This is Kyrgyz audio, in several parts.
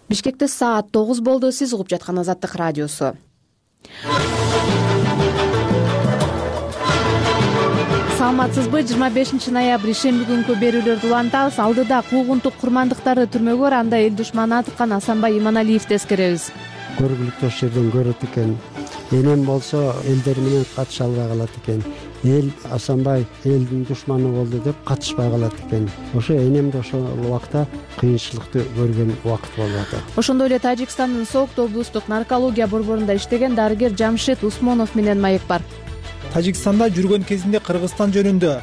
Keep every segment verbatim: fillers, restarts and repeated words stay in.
Бишкекте саат тогуз болду. Сиз угуп жаткан Азаттык радиосу. Саламатсызбы? жыйырма бешинчи ноябрь ишемби күнкү берүүлөрдү улантабыз. Алдыда куугунтук курмандыктары түрмөгө анда эл душманы аткан Асанбай Иманалиевди эскеребиз. Көргүлүктүү жерден көрөт экен. Энем болсо элдер менен катыша албай калат экен. Эл Асанбай элдин душманы болду деп катышпай калат экен. Ошо энем да ошол убакта кыйынчылыкты көргөн убакыт болуп атат. Ошондой эле Тажикстандын Соокту облустук наркология борборунда иштеген дарыгер Жамшит Усмонов менен маек бар. Тажикстанда жүргөн кезинде Кыргызстан жөнүндө,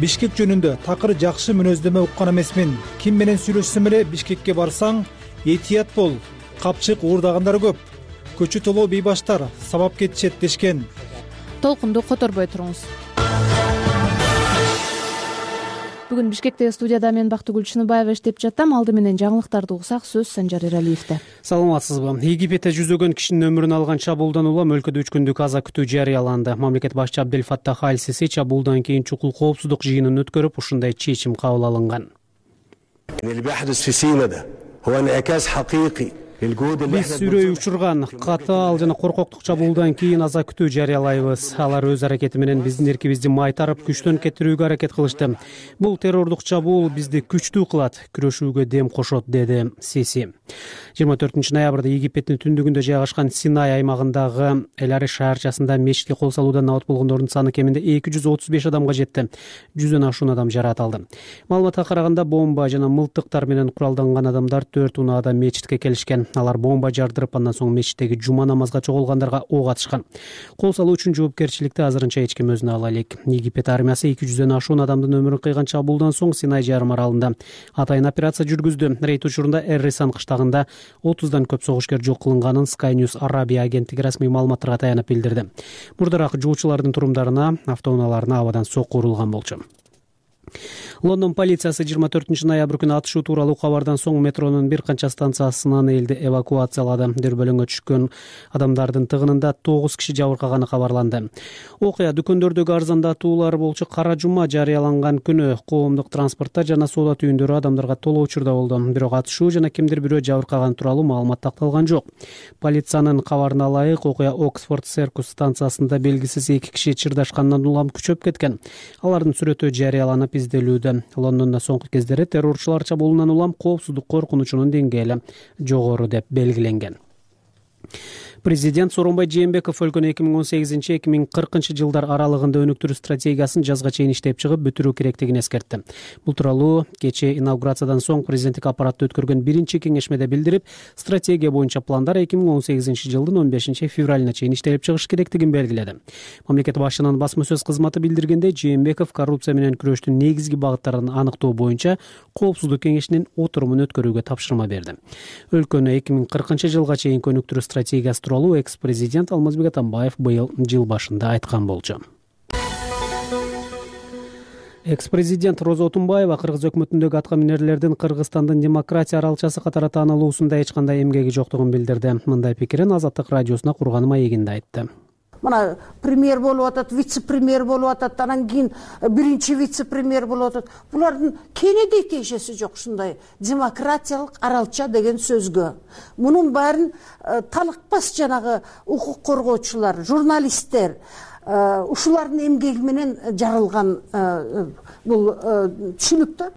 Бишкек жөнүндө такыр жакшы мүнөздөмө уккан эмесмин. Ким менен сүйлөшсөм эле Бишкекке барсаң, этият бол, капчык уурдагандар көп. Көчү толоо бейбаштар сабап кетишет дешкен. Толкунду которбой туруңуз. Бүгүн Бишкекте студияда мен Бактыгүл Чыныбаева иштеп жатам. Алды менен жаңылыктарды угсак, сөз Санжар Эралиевде. Саламатсызбы? Египетте жүзөгөн кишинин өмүрүн алган чабуулдан улам өлкөдө үч күндүк аза күтүү жарыяланды. Мамлекет башчы Абдел Фаттах аль-Сиси чабуулдан кийин чукул коопсуздук жыйынын өткөрүп, ушундай чечим кабыл алынган. Биз сүрөй учурган катаал жана коркоктук чабуулдан кийин аза күтүү жарыялайбыз. Алар өз аракети менен биздин эркибизди майтарып, күчтөн кетирүүгө аракет кылышты. Бул террордук чабуул бизди күчтүү кылат, күрөшүүгө дем кошот, деди Сиси. жыйырма төртүнчү ноябрда Египеттин түндүгүндө жайгашкан Синай аймагындагы Элари шаарчасында мечитке кол салуудан набат болгондордун саны кеминде эки жүз отуз беш адамга жетти. жүздөн ашуун адам жаракат алды. Маалыматка караганда бомба жана мылтыктар менен куралданган адамдар төрт унаада мечитке келишкен. Алар бомба жардырып, андан соң мечиттеги жума намазга чогулгандарга ок атышкан. Кол салуу үчүн жоопкерчиликти азырынча эч ким өзүнө ала элек. Египет армиясы эки жүздөн ашуун адамдын өмүрүн кыйган чабуулдан соң Синай жарым аралында атайын операция жүргүздү. Рейд учурунда Эр-Рисан кыштагында отуздан көп согушкер жок кылынганын Sky News Arabia агенттиги расмий маалыматтарга таянып билдирди. Мурдараак жоочулардын турумдарына, автоунааларына абадан сокку урулган болчу. Лондон полициясы жыйырма төртүнчү ноябрь күнү атышуу тууралуу кабардан соң метронун бир канча станциясынан элди эвакуациялады. Дүрбөлөңгө түшкөн адамдардын тыгынында тогуз киши жабыркаганы кабарланды. Окуя дүкөндөрдөгү арзандатуулар болчу кара жума жарыяланган күнү коомдук транспортто жана соода түйүндөрү адамдарга толуу учурда болду. Бирок атышуу жана кимдир бирөө жабыркаган тууралуу маалымат такталган жок. Полициянын кабарына ылайык, окуя Оксфорд Серкус станциясында белгисиз эки киши чырдашкандан улам күчөп кеткен. Алардын сүрөтү жарыяланып изделүүдө. Лондондо соңку кездери террорчулар чабуулунан улам коопсуздук коркунучунун деңгээли жогору деп белгиленген. Президент Сооронбай Жээнбеков өлкөнү эки миң он сегизинчи эки миң кыркынчы жылдар аралыгында өнүктүрүү стратегиясын жазга чейин иштеп чыгып бүтүрүү керектигин эскертти. Бул тууралуу кечээ инаугурациядан соң президенттик аппаратты өткөргөн биринчи кеңешмеде билдирип, стратегия боюнча пландар эки миң он сегизинчи жылдын он бешинчи февралына чейин иштелип чыгыш керектигин белгиледи. Мамлекет башчынын басма сөз кызматы билдиргендей, Жээнбеков коррупция менен күрөштүн негизги багыттарын аныктоо боюнча коопсуздук кеңешинин отурумун өткөрүүгө тапшырма берди. Өлкөнү эки миң кыркынчы жылга чейин өнүктүрүү стратегиясы экс-президент Алмазбек Атамбаев быйыл жыл башында айткан болчу. Экс-президент Роза Отунбаева Кыргыз өкмөтүндөгү атка минерлердин Кыргызстандын демократия аралчасы катары таанылуусунда эч кандай эмгеги жоктугун билдирди. Мындай пикирин Азаттык радиосуна курган маегинде айтты. Мына премьер болуп атат, вице-премьер болуп атат, анан кийин биринчи вице-премьер болуп атат. Булардын кенеде тиешеси жок ушундай демократиялык аралча деген сөзгө. Мунун баарын талыкпас жанагы укук коргоочулар, журналисттер, ушулардын эмгеги менен жарылган бул түшүнүктөр.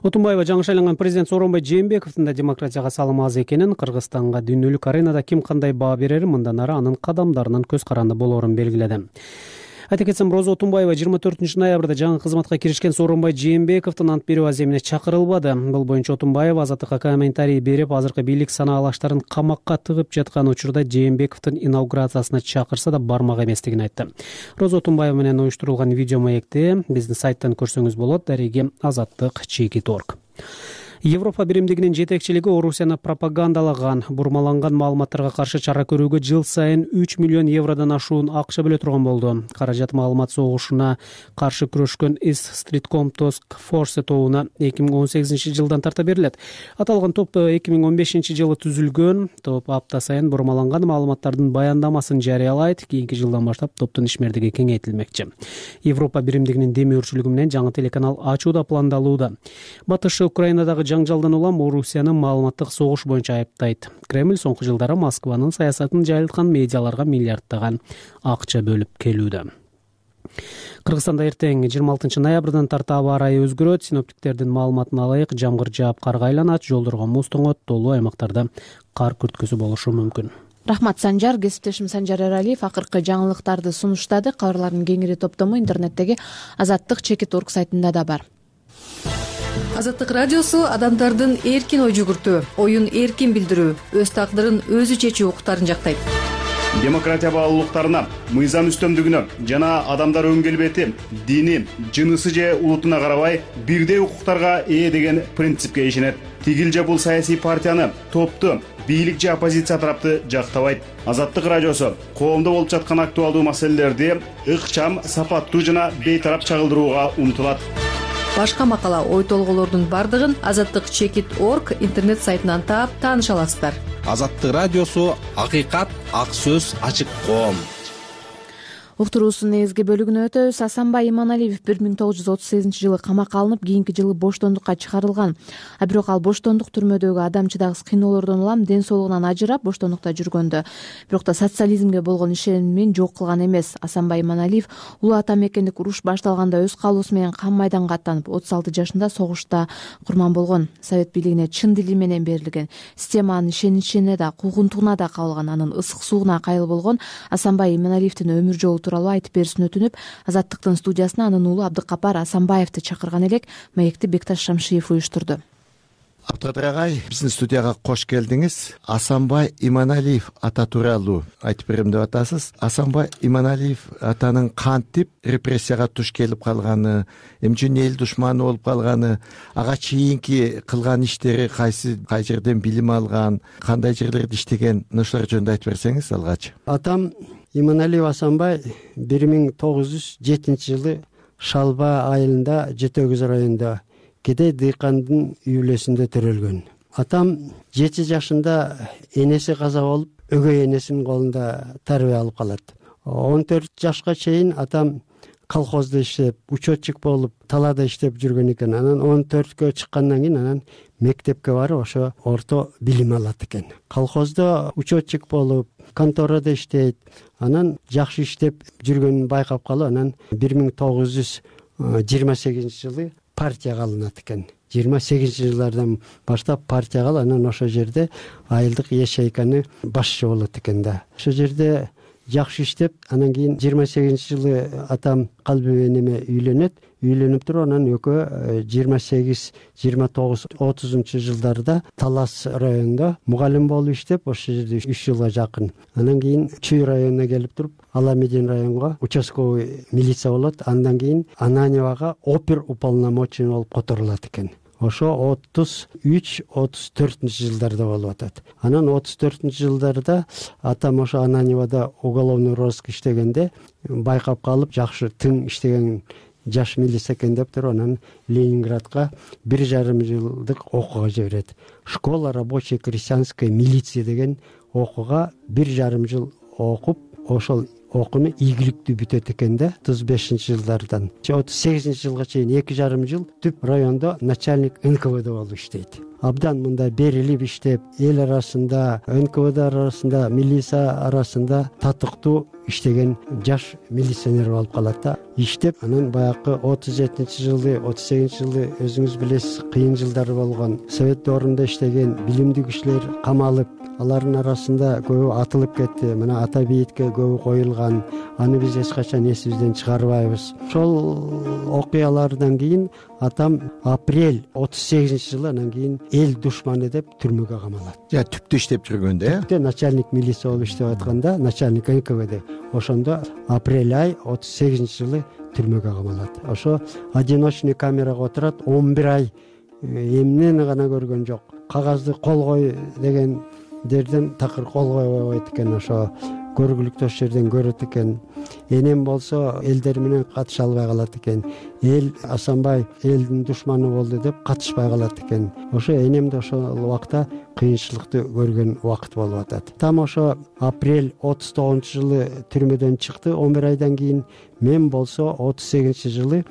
Отунбаева жаңы шайланган президент Сооронбай Жээнбековдун да демократияга салымы аз экенин, Кыргызстанга дүйнөлүк аренада ким кандай баа берерин, мындан ары анын кадамдарынын көз каранды болоорун белгиледи. Айта кетсем, Роза Отунбаева жыйырма төртүнчү ноябрда жаңы кызматка киришкен Сооронбай Жээнбековдун ант берүү аземине чакырылбады. Бул боюнча Отунбаева Азаттыкка комментарий берип, азыркы бийлик санаалаштарын камакка тыгып жаткан учурда Жээнбековдун инаугурациясына чакырса да бармак эместигин айтты. Роза Отунбаева менен уюштурулган видео маекти биздин сайттан көрсөңүз болот. Дареги Азаттык чекит точка орг. Европа биримдигинин жетекчилиги Орусияны пропагандалаган, бурмаланган маалыматтарга каршы чара көрүүгө жыл сайын үч миллион евродон ашуун акча бөлө турган болду. Каражат маалымат согушуна каршы күрөшкөн East Streetcom Task Force тобуна эки миң он сегизинчи жылдан тарта берилет. Аталган топ эки миң он бешинчи жылы түзүлгөн. Топ апта сайын бурмаланган маалыматтардын баяндамасын жарыялайт. Кийинки жылдан баштап топтун ишмердиги кеңейтилмекчи. Европа биримдигинин демөөрчүлүгү менен жаңы телеканал ачуу да пландалууда. Батыш Украинадагы жаңжалдан улам Орусияны маалыматтык согуш боюнча айыптайт. Кремль соңку жылдары Москванын саясатын жайылткан медиаларга миллиарддаган акча бөлүп келүүдө. Кыргызстанда эртең жыйырма алтынчы ноябрдан тарта аба ырайы өзгөрөт. Синоптиктердин маалыматына ылайык жамгыр жаап карга айланат, жолдорго муз тоңот, тоолуу аймактарда кар күрткөсү болушу мүмкүн. Рахмат Санжар. Кесиптешим Санжар Эралиев акыркы жаңылыктарды сунуштады. Кабарлардын кеңири топтому интернеттеги азаттык чекит точка орг сайтында да бар. Азаттык радиосу адамдардын эркин ой жүгүртүү, оюн эркин билдирүү, өз тагдырын өзү чечүү укуктарын жактайт. Демократия баалуулуктарына, мыйзам үстөмдүгүнө жана адамдар өң келбети, дини, жынысы же улутуна карабай бирдей укуктарга ээ деген принципке ишенет. Тигил же бул саясий партияны, топту, бийлик же оппозиция тарапты жактабайт. Азаттык радиосу коомдо болуп жаткан актуалдуу маселелерди ыкчам, сапаттуу жана бейтарап чагылдырууга умтулат. Башка макала, ой толгоолордун бардыгын азаттык чекит точка орг интернет сайтынан таап тааныша аласыздар. Азаттык радиосу акыйкат, ак сөз, ачык коом. Уктуруусунун негизги бөлүгүнө өтөбүз. Асанбай Иманалиев бир миң тогуз жүз отуз сегизинчи жылы камакка алынып, кийинки жылы боштондукка чыгарылган. А бирок ал боштондук түрмөдөгү адам чыдагыс кыйноолордон улам ден соолугунан ажырап боштондукта жүргөндө. Бирок да социализмге болгон ишенимин жок кылган эмес. Асанбай Иманалиев улуу ата мекендик уруш башталганда өз каалоосу менен кам майданга аттанып, отуз алты жашында согушта курман болгон. Совет бийлигине чын дили менен берилген, системанын ишеничине да, куугунтугуна да кабылган, анын ысык сууна кайыл болгон Асанбай Иманалиевдин өмүр жолу тууралуу айтып берүүсүн өтүнүп, Азаттыктын студиясына анын уулу Абдыкапар Асанбаевди чакырган элек. Маекти Бекташ Шамшиев уюштурду. Абдыкапар агай, биздин студияга кош келдиңиз. Асанбай Иманалиев ата тууралуу айтып берем деп атасыз. Асанбай Иманалиев атанын кантип репрессияга туш келип калганы, эмне үчүн эл душманы болуп калганы, ага чейинки кылган иштери кайсы, кай жерден билим алган, кандай жерлерде иштеген, ошолор жөнүндө айтып берсеңиз алгач. Атам Иманалиев Асанбай бир миң тогуз жүз жетинчи жылы Шалба айылында Жети Өгүз районунда Кедей дыйкандын үй бүлөсүндө төрөлгөн. Атам жети жашында энеси каза болуп, өгөй энесинин колунда тарбия алып калат. он төрт жашка чейин атам колхоздо иштеп, учетчик болуп, талаада иштеп жүргөн экен. Анан он төрткө чыккандан кийин анан мектепке барып, ошо орто билим алат экен. Колхоздо учетчик болуп, конторада иштейт. Анан жакшы иштеп жүргөнүн байкап калып, анан бир миң тогуз жүз жыйырма сегизинчи жылы партияга алынат экен. жыйырма сегизинчи жылдардан баштап партияга алып, анан ошол жерде айылдык ячейканы башчы болот экен да. Ошол жерде жакшы иштеп, анан кийин жыйырма сегизинчи жылы атам Калби энеме үйлөнөт. Үйлөнүп туруп, анан экөө жыйырма сегиз, жыйырма тогуз, отузунчу жылдарда Талас районунда мугалим болуп иштеп, ошол жерде үч жылга жакын. Анан кийин Чүй районуна келип туруп, Аламедин районго участковый милиция болот. Андан кийин Ананьевага опер уполномоченный болуп которулат экен. Ошо отуз үч, отуз төртүнчү жылдарда болуп атат. Анан отуз төртүнчү жылдарда атам ошо Ананьевада уголовный розыск иштегенде байкап калып, жакшы тың иштеген жаш милиция экен деп туруп, анан Ленинградка бир жарым жылдык окууга жиберет. Школа рабочей крестьянской милиции деген окууга бир жарым жыл окуп, ошол окууну ийгиликтүү бүтөт экен да. отуз бешинчи жылдардан отуз сегизинчи жылга чейин эки жарым жыл түп райондо начальник эн ка вэ дэ болуп иштейт. Абдан мындай берилип иштеп, эл арасында, эн ка вэ дэ арасында, милиция арасында татыктуу иштеген жаш милиционер болуп калат да. Иштеп, анан баягы отуз жетинчи жылы, отуз сегизинчи жылы өзүңүз билесиз, кыйын жылдар болгон. Совет доорунда иштеген билимдүү кишилер камалып, алардын арасында көбү атылып кетти. Мына ата бейитке көбү коюлган. Аны биз эч качан эсибизден чыгарбайбыз. Ошол окуялардан кийин атам апрель отуз сегизинчи жылы анан кийин эл душманы деп түрмөгө камалат. Я түптө иштеп жүргөндө, э? Начальник милиция болуп иштеп атканда, начальник эн ка вэ дэ. Ошондо апрель ай отуз сегизинчи жылы түрмөгө камалат. Ошо одиночный камерага отурат, он бир ай эмнени гана көргөн жок. Кагазды кол кой деген дерден такыр кол койбойт экен. Ошо көргүлүктүү жерден көрөт экен. Энем болсо элдер менен катыша албай калат экен. Эл Асанбай элдин душманы болду деп катышпай калат экен. Ошо энем да ошол убакта кыйынчылыкты көргөн убакыт болуп атат. Там ошо апрель отуз тогузунчу жылы түрмөдөн чыкты. он бир айдан кийин мен болсо отуз сегизинчи жылы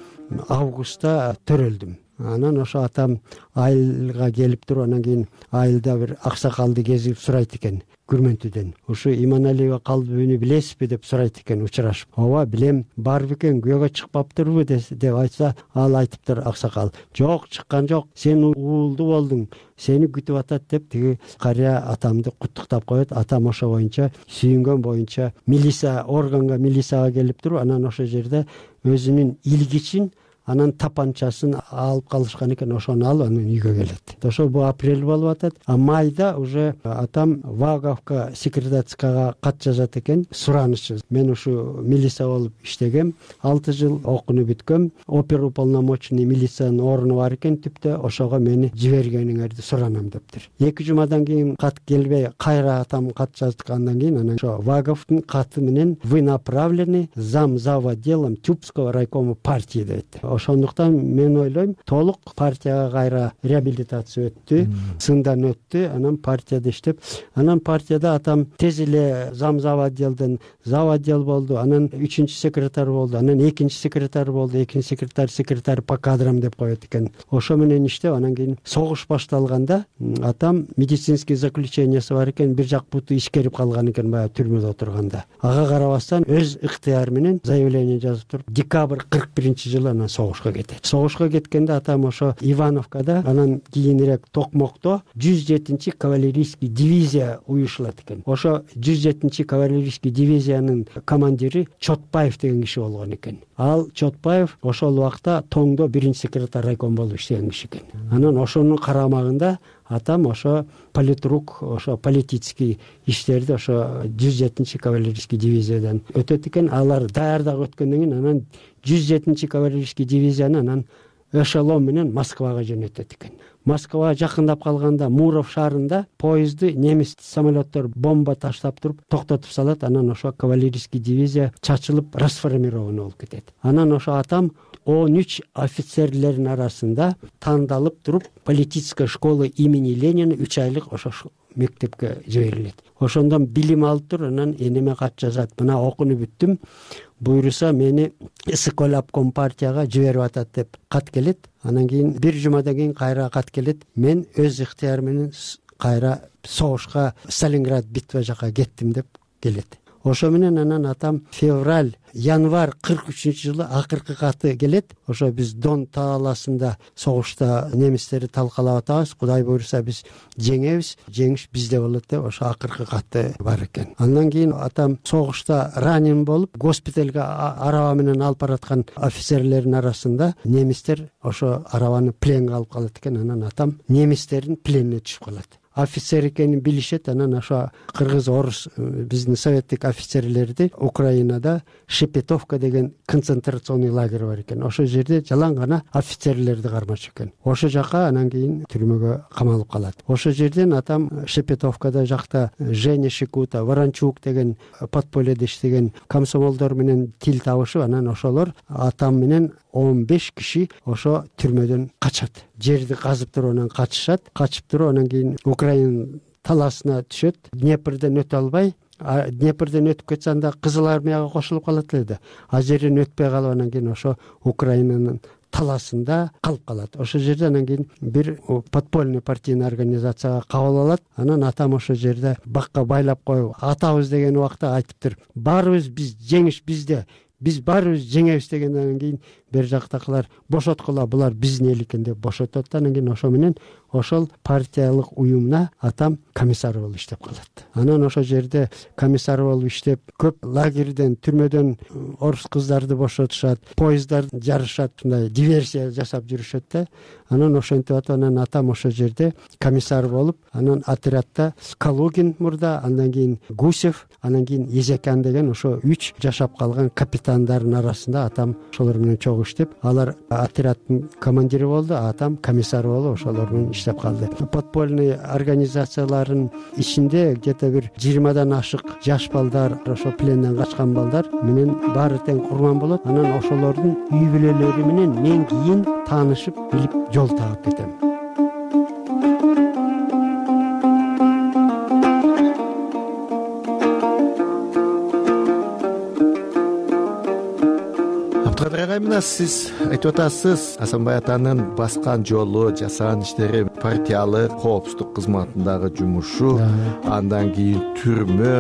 августта төрөлдүм. анан ошо атам айылга келип туруп анан кийин айылда бир аксакалды кезип сурайт экен Күрмөнтүдөн. Ушу Иманалиева калдыбүнү билесизби деп сурайт экен учурашып. Ооба билем, бар бекен, күйөөгө чыкпаптырбы деп айтса, ал айтыптыр аксакал. Жок, чыккан жок, сен уулду болдуң, сени күтүп атат деп тиги карыя атамды куттуктап коет. Атам ошо боюнча сүйүнгөн боюнча милиция органга милицияга келип туруп, анан ошо жерде өзүнүн илгичин анан тапанчасын алып калышкан экен, ошону алып анан үйгө келет. Ошо бул апрель болуп атат. А майда уже атам Ваговка секретарскага кат жазат экен, суранычы. Мен ушу милиция болуп иштегем, алты жыл окууну бүткөм, оперуполномоченный милициянын ордуну бар экен түптө, ошого мени жибергениңерди суранам дептир. Эки жумадан кийин кат келбей, кайра атам кат жазгандан кийин анан ошо Ваговдун каты менен вы направлены зам зав. Отделом Тюбского райкома партии дейт. Ошондуктан мен ойлойм, толук партияга кайра реабилитация өттү, сындан өттү, анан партияда иштеп, анан партияда атам тез эле зам зав. Отделден зав. Отдел болду, анан үчүнчү секретарь болду, анан экинчи секретарь болду, экинчи секретарь секретарь по кадрам деп коет экен. Ошо менен иштеп, анан кийин согуш башталганда атам медицинский заключениясы бар экен, бир жак буту ишкерип калган экен баягы түрмөдө отурганда. Ага карабастан өз ыктыяры менен заявление жазып туруп, декабрь кырк биринчи жылы анан согушка кетет. Согушка кеткенде атам ошо Ивановкада, анан кийинирээк Токмокто жүз жетинчи кавалерийский дивизия уюшулат экен. Ошо жүз жетинчи кавалерийский дивизиянын командири Чотпаев деген киши болгон экен. Ал Чотпаев ошол убакта Тоңдо биринчи секретарь райком болуп иштеген киши экен. Анан ошонун карамагында атам ошо политрук, ошо политический иштерди ошо жүз жетинчи кавалерийский дивизиядан өтөт экен. Алар даярдык өткөндөн кийин анан жүз жетинчи кавалерийский дивизияны анан эшелон менен Москвага жөнөтөт экен. Москвага жакындап калганда Муров шаарында поезды немис самолеттер бомба таштап туруп токтотуп салат. Анан ошо кавалерийский дивизия чачылып расформирован болуп кетет. Анан ошо атам он үч офицерлердин арасында тандалып туруп политическая школа имени Ленина үч айлык ошо мектепке жиберилет. Ошондон билим алып туруп, анан энеме кат жазат. Мына окууну бүттүм, буйруса мени Соколап компартияга жиберип атат деп кат келет. Анан кийин бир жумадан кийин кайра кат келет. Мен өз ыктыярым менен кайра согушка Сталинград битва жака кеттим деп келет. Ошо менен анан атам февраль, январь кырк үчүнчү жылы акыркы каты келет. Ошо биз Дон талаасында согушта немистерди талкалап атабыз. Кудай буйруса биз жеңебиз, жеңиш бизде болот деп ошо акыркы каты бар экен. Андан кийин атам согушта ранен болуп, госпиталга араба менен алып бараткан офицерлердин арасында немистер ошо арабаны пленге алып калат экен. Анан атам немистердин пленине түшүп калат. Офицер экенин билишет. Анан ошо кыргыз, орус биздин советтик офицерлерди Украинада Шепетовка деген концентрационный лагерь бар экен. Ошо жерде жалаң гана офицерлерди кармаш экен. Ошо жака анан кийин түрмөгө камалып калат. Ошо жерден атам Шепетовкада жакта Женя Шикута, Ворончук деген подпольеде иштеген комсомолдор менен тил табышып, анан ошолор атам менен он беш киши ошо түрмөдөн качат. Жерди казып туруп анан качышат. Качып туруп анан кийин Украина талаасына түшөт. Днепрден өтө албай, Днепрден өтүп кетсе анда Кызыл армияга кошулуп калат эле да. А жерден өтпөй калып анан кийин ошо Украинанын талаасында калып калат. Ошо жерде анан кийин бир подпольный партийный организацияга кабыл алат. Анан атам ошо жерде бакка байлап коюп атабыз деген убакта айтыптыр. Баарыбыз биз жеңиш бизде. Биз баарыбыз жеңебиз дегенден кийин бер жактакылар бошоткула, булар биздин эл экен деп бошотот. Анан кийин ошо менен ошол партиялык уюмуна атам комиссар болуп иштеп калат. Анан ошо жерде комиссар болуп иштеп, көп лагерден, түрмөдөн орус кыздарды бошотушат, поездар жарышат, мындай диверсия жасап жүрүшөт да. Анан ошентип атып, анан атам ошо жерде комиссар болуп, анан отрядда Калугин мурда, андан кийин Гусев, анан кийин Езекян деген ошо үч жашап калган капитандардын арасында атам ошолор менен чогуу иштеп, алар отряддын командири болду, атам комиссар болуп ошолор менен иштеп калды. Подпольный организациялардын ичинде где-то бир жыйырмадан ашык жаш балдар, ошо пленден качкан балдар менен баары тең курман болот. Анан ошолордун үй бүлөлөрү менен мен кийин таанышып, билип жол таап кетем. жана сиз айтып атасыз Асанбай атанын баскан жолу, жасаган иштери, партиялык коопсуздук кызматындагы жумушу, андан кийин түрмө,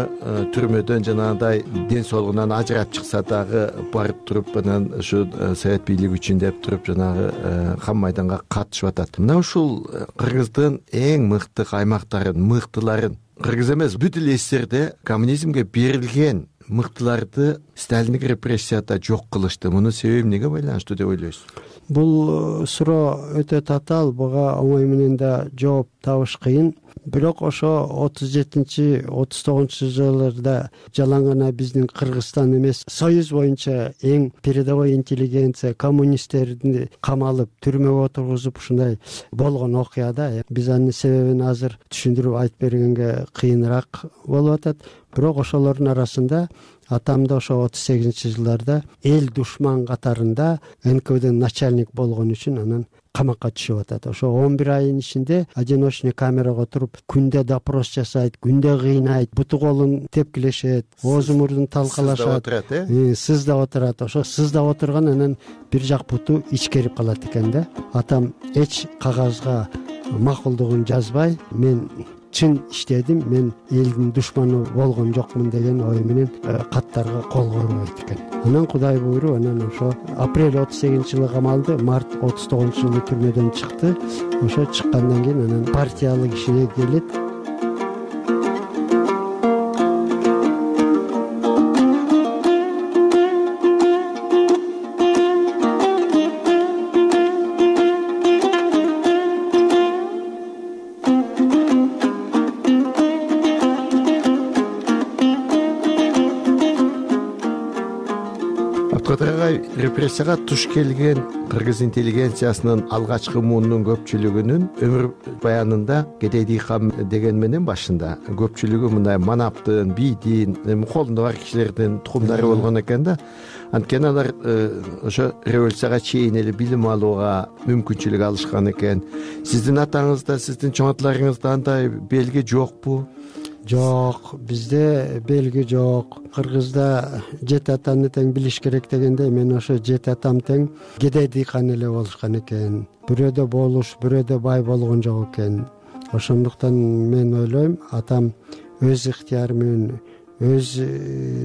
түрмөдөн жанагындай ден соолугунан ажырап чыкса дагы барып туруп анан ушу совет бийлиги үчүн деп туруп жанагы кам майданга катышып атат. Мына ушул Кыргыздын эң мыкты аймактарын, мыктыларын, кыргыз эмес бүт эле эсерде коммунизмге берилген мыктыларды сталиндик репрессияда жок кылышты. Мунун себеби эмнеге байланыштуу деп ойлойсуз? Бул суроо өтө татаал, буга оңой менен да жооп табыш кыйын. Бирок ошо отуз жетинчи отуз тогузунчу жылдарда жалаң биздин Кыргызстан эмес, Союз боюнча эң передовой интеллигенция, коммунисттерди камалып, түрмөгө отургузуп ушундай болгон окуяда биз анын себебин азыр түшүндүрүп айтып бергенге кыйыныраак болуп атат. Бирок ошолордун арасында атамда ошо отуз сегизинчи жылдарда эл душман катарында эн ка веден начальник болгон үчүн анан камакка түшүп атат. Ошо он бир айдын ичинде одиночный камерага туруп, күндө допрос жасайт, күндө кыйнайт, буту колун тепкилешет, оозу мурдун талкалашат, сыздап отурат. Ошо сыздап отурган анан бир жак буту ичкерип калат экен да. Атам эч кагазга макулдугун жазбай, мен чын иштедим, мен элдин душманы болгон жокмун деген ой менен каттарга кол койбойт экен. Анан Кудай буйруп, анан ошо апрель отуз сегизинчи жылы камалды, март отуз тогузунчу жылы түрмөдөн чыкты. Ошо чыккандан кийин анан партиялык ишине келет. Репрессияга туш келген кыргыз интеллигенциясынын алгачкы муунун көпчүлүгүнүн өмүр баянында кедей дыйкан деген менен башында көпчүлүгү мындай манаптын, бийдин, колунда бар кишилердин тукумдары болгон экен да. Анткени алар ошо революцияга чейин эле билим алууга мүмкүнчүлүк алышкан экен. Сиздин атаңызда, сиздин чоң аталарыңызда андай белги жокпу? Жок, бизде белги жок. Кыргызда жети атаны тең билиш керек дегендей, мен ошо жети атам тең кедей дыйкан эле болушкан экен. Бирөөдө болуш, бирөөдө бай болгон жок экен. Ошондуктан мен ойлойм, атам өз ыктыяры менен, өз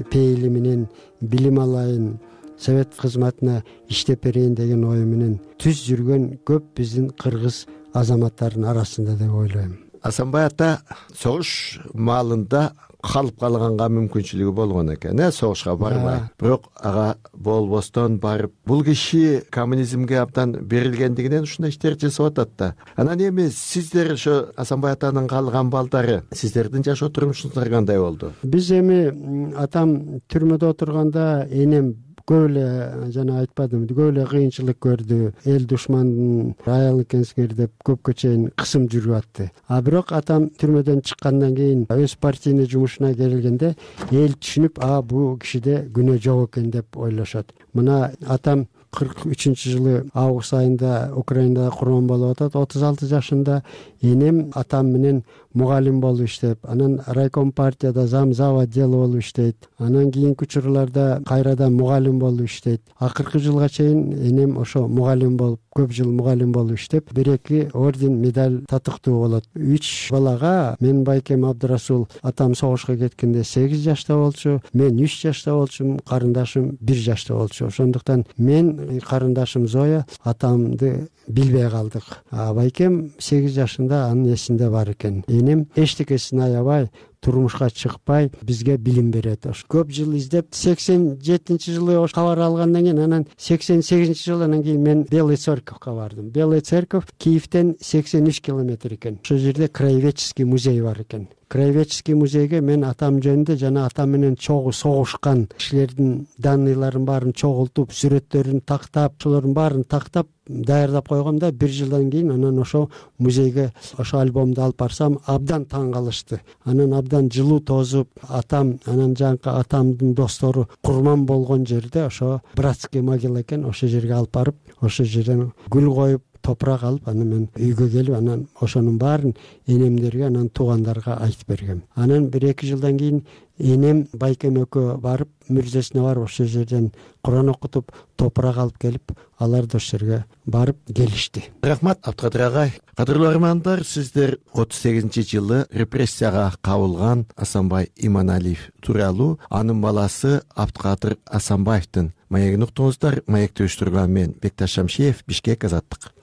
пейили менен билим алайын, совет кызматына иштеп берейин деген ой менен түз жүргөн көп биздин кыргыз азаматтарынын арасында деп ойлойм. Асанбай ата согуш маалында калып калганга мүмкүнчүлүгү болгон экен, э, согушка барбай. Бирок ага болбостон барып, бул киши коммунизмге абдан берилгендигинен ушундай иштер жасап атат да. Анан эми сиздер ошо Асанбай атанын калган балдары, сиздердин жашоо турмушуңуздар кандай болду? Биз эми атам түрмөдө отурганда энем көп эле, жана айтпадым, көп эле кыйынчылык көрдү. Эл душмандын аял экенсиңер деп көпкө чейин кысым жүрүп атты. А бирок атам түрмөдөн чыккандан кийин өз партийный жумушуна келгенде эл түшүнүп, а бул кишиде күнөө жок экен деп ойлошот. Мына атам кырк үчүнчү жылы август айында Украинада курман болуп атат, отуз алты жашында. Энем атам менен мугалим болуп иштеп, анан райком партияда зам зав отдел болуп иштейт. Анан кийинки учурларда кайрадан мугалим болуп иштейт. Акыркы жылга чейин энем ошо мугалим болуп, көп жыл мугалим болуп иштеп, бир эки орден, медаль татыктуу болот. Үч балага мен Байкем Абдырасул атам согушка кеткенде сегиз жашта болчу, мен үч жашта болчумун, карындашым бир жашта болчу. Ошондуктан мен, карындашым Зоя атамды билбей калдык. А Байкем сегиз жашында анын эсинде бар экен. Энем эчтекесин аябай, турмушка чыкпай бизге билим берет. Көп жыл издеп, сексен жетинчи жылы ош кабар алгандан кийин, анан сексен сегизинчи жылы анан кийин мен Белый Церковька бардым. Белый Церковь Киевден сексен үч километр экен. Ошол жерде краеведческий музей бар экен. Краеведческий музейге мен атам жөнүндө жана атам менен чогуу согушкан кишилердин данныйларын баарын чогултуп, сүрөттөрүн тактап, ошолордун баарын тактап даярдап койгом да, бир жылдан кийин анан ошо музейге ошо альбомду алып барсам, абдан таң калышты. Анан абдан жылуу тозуп, атам, анан жанкы атамдын достору курман болгон жерде ошо братский могила экен, ошол жерге алып барып, ошол жерден гүл коюп, топурак алып, анан мен үйгө келип, анан ошонун баарын энемдерге, анан туугандарга айтып бергем. Анан бир эки жылдан кийин энем Байкем экөө барып мүрзесине барып ошол жерден Куран окутуп топурак алып келип алар да ошол жерге барып келишти. Рахмат Абдыкадыр агай. Кадырлуу армандар, сиздер отуз сегизинчи жылы репрессияга кабылган Асанбай Иманалиев тууралуу анын баласы Абдыкадыр Асанбаевдин маегин уктуңуздар. Маекти уюштурган мен Бекташ Шамшиев, Бишкек, Азаттык.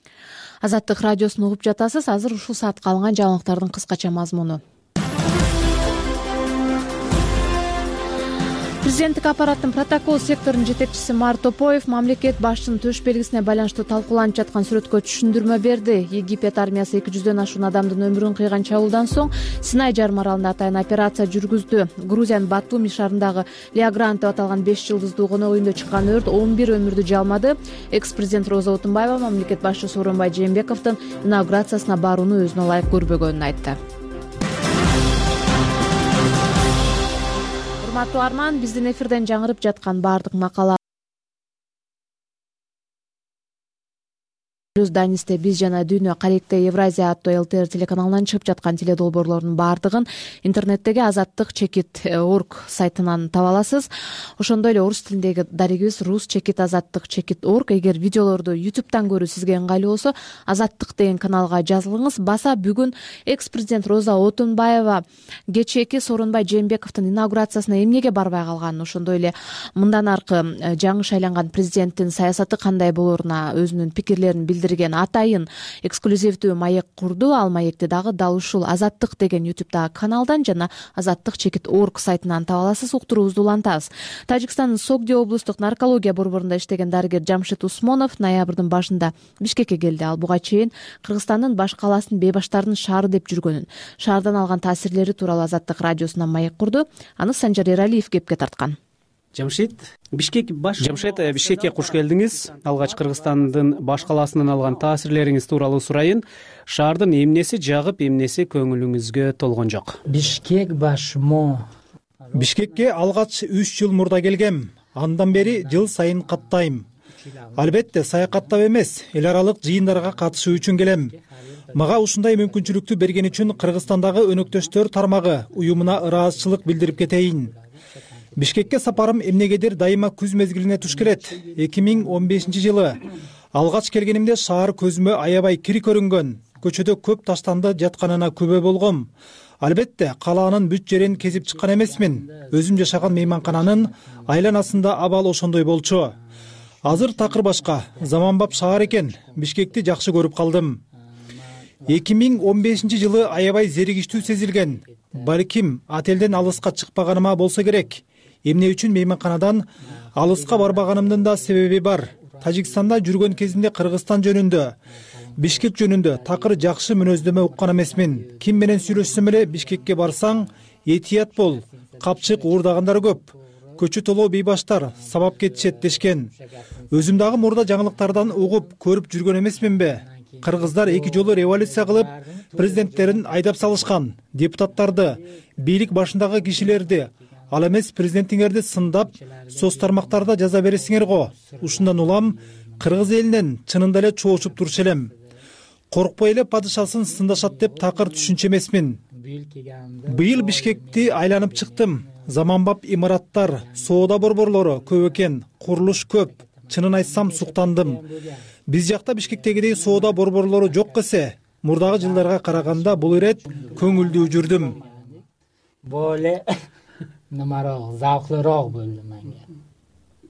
Азаттык радиосун угуп жатасыз. Азыр ушул саатка алынган жаңылыктардын кыскача мазмуну. Президенттик аппараттын протокол секторунун жетекчиси Мар Топоев мамлекет башчынын төш белгисине байланыштуу талкууланып жаткан сүрөткө түшүндүрмө берди. Египет армиясы эки жүздөн ашуун адамдын өмүрүн кыйган чабуулдан соң Синай жарым аралында атайын операция жүргүздү. Грузиянын Батуми шаарындагы Леогранд деп аталган беш жылдыздуу конок үйүндө чыккан өрт он бир өмүрдү жалмады. Экс-президент Роза Отунбаева мамлекет башчысы Сооронбай Жээнбековдун инаугурациясына барууну өзүнө ылайык көрбөгөнүн айтты. Урматтуу арман, биздин эфирден жаңырып жаткан баардык макала Плюс Данисте биз жана Дүйнө Каректе Евразия аттуу ЛТР телеканалынан чыгып жаткан теледолбоорлордун баардыгын интернеттеги азаттык чекит орг сайтынан таба аласыз. Ошондой эле орус тилиндеги дарегибиз рус чекит азаттык чекит орг. Эгер видеолорду ютубтан көрүү сизге ыңгайлуу болсо, азаттык деген каналга жазылыңыз. Баса бүгүн экс-президент Роза Отунбаева кечээки Сооронбай Жээнбековдун инаугурациясына эмнеге барбай калганын, ошондой эле мындан аркы жаңы шайланган президенттин саясаты кандай болоруна өзүнүн пикирлерин билдирген атайын эксклюзивдүү маек курду. Ал маекти дагы дал ушул азаттык деген ютубтагы каналдан жана азаттык чекит орг сайтынан таба аласыз. Уктуруубузду улантабыз. Тажикстандын Согди облустук наркология борборунда иштеген дарыгер Жамшит Усмонов ноябрдын башында Бишкекке келди. Ал буга чейин Кыргызстандын баш калаасын бейбаштардын шаары деп жүргөнүн, шаардан алган таасирлери тууралуу Азаттык радиосунан маек курду. Аны Санжар Эралиев кепке тарткан. Жамшит, Бишкек баш Жамшит, Бишкекке куш келдиңиз. Алгач Кыргызстандын баш калаасынан алган таасирлериңиз тууралуу сурайын. Шаардын эмнеси жагып, эмнеси көңүлүңүзгө толгон жок? Бишкек башмо. Бишкекке алгач үч жыл мурда келгем. Андан бери жыл сайын каттайм. Албетте саякаттап эмес, эл аралык жыйындарга катышуу үчүн келем. Мага ушундай мүмкүнчүлүктү берген үчүн Кыргызстандагы өнөктөштөр тармагы уюмуна ыраазычылык билдирип кетейин. Бишкекке сапарым эмнегедир дайыма күз мезгилине туш келет. эки миң он бешинчи жылы алгач келгенимде шаар көзүмө аябай кири көрүнгөн. Көчөдө көп таштанды жатканына күбө болгом. Албетте калаанын бүт жерин кезип чыккан эмесмин. Өзүм жашаган мейманкананын айланасында абал ошондой болчу. Азыр такыр башка, заманбап шаар экен. Бишкекти жакшы көрүп калдым. эки миң он бешинчи жылы аябай зеригиштүү сезилген. Балким ат элден алыска чыкпаганыма болсо керек. Эмне үчүн мейманканадан алыска барбаганымдын да себеби бар. Тажикстанда жүргөн кезимде Кыргызстан жөнүндө, Бишкек жөнүндө такыр жакшы мүнөздөмө уккан эмесмин. Ким менен сүйлөшсөм эле Бишкекке барсаң, этият бол, капчык уурдагандар көп. Көчү толоо бейбаштар сабап кетишет дешкен. Өзүм дагы мурда жаңылыктардан угуп, көрүп жүргөн эмесминби? Кыргыздар эки жолу революция кылып, президенттерин айдап салышкан, депутаттарды, бийлик башындагы кишилерди, ал эмес президентиңерди сындап, соц тармактарда жаза бересиңер го. Ушундан улам кыргыз элинен чынында эле чоочуп туруш элем. Коркпой эле падышасын сындашат деп такыр түшүнчү эмесмин. Быйыл Бишкекти айланып чыктым. Заманбап имараттар, соода борборлору көп экен, курулуш көп. Чынын айтсам суктандым. Биз жакта Бишкектегидей соода борборлору жок эсе, мурдагы жылдарга караганда бул ирет көңүлдүү жүрдүм. Боле намарок, завклырок болду менге.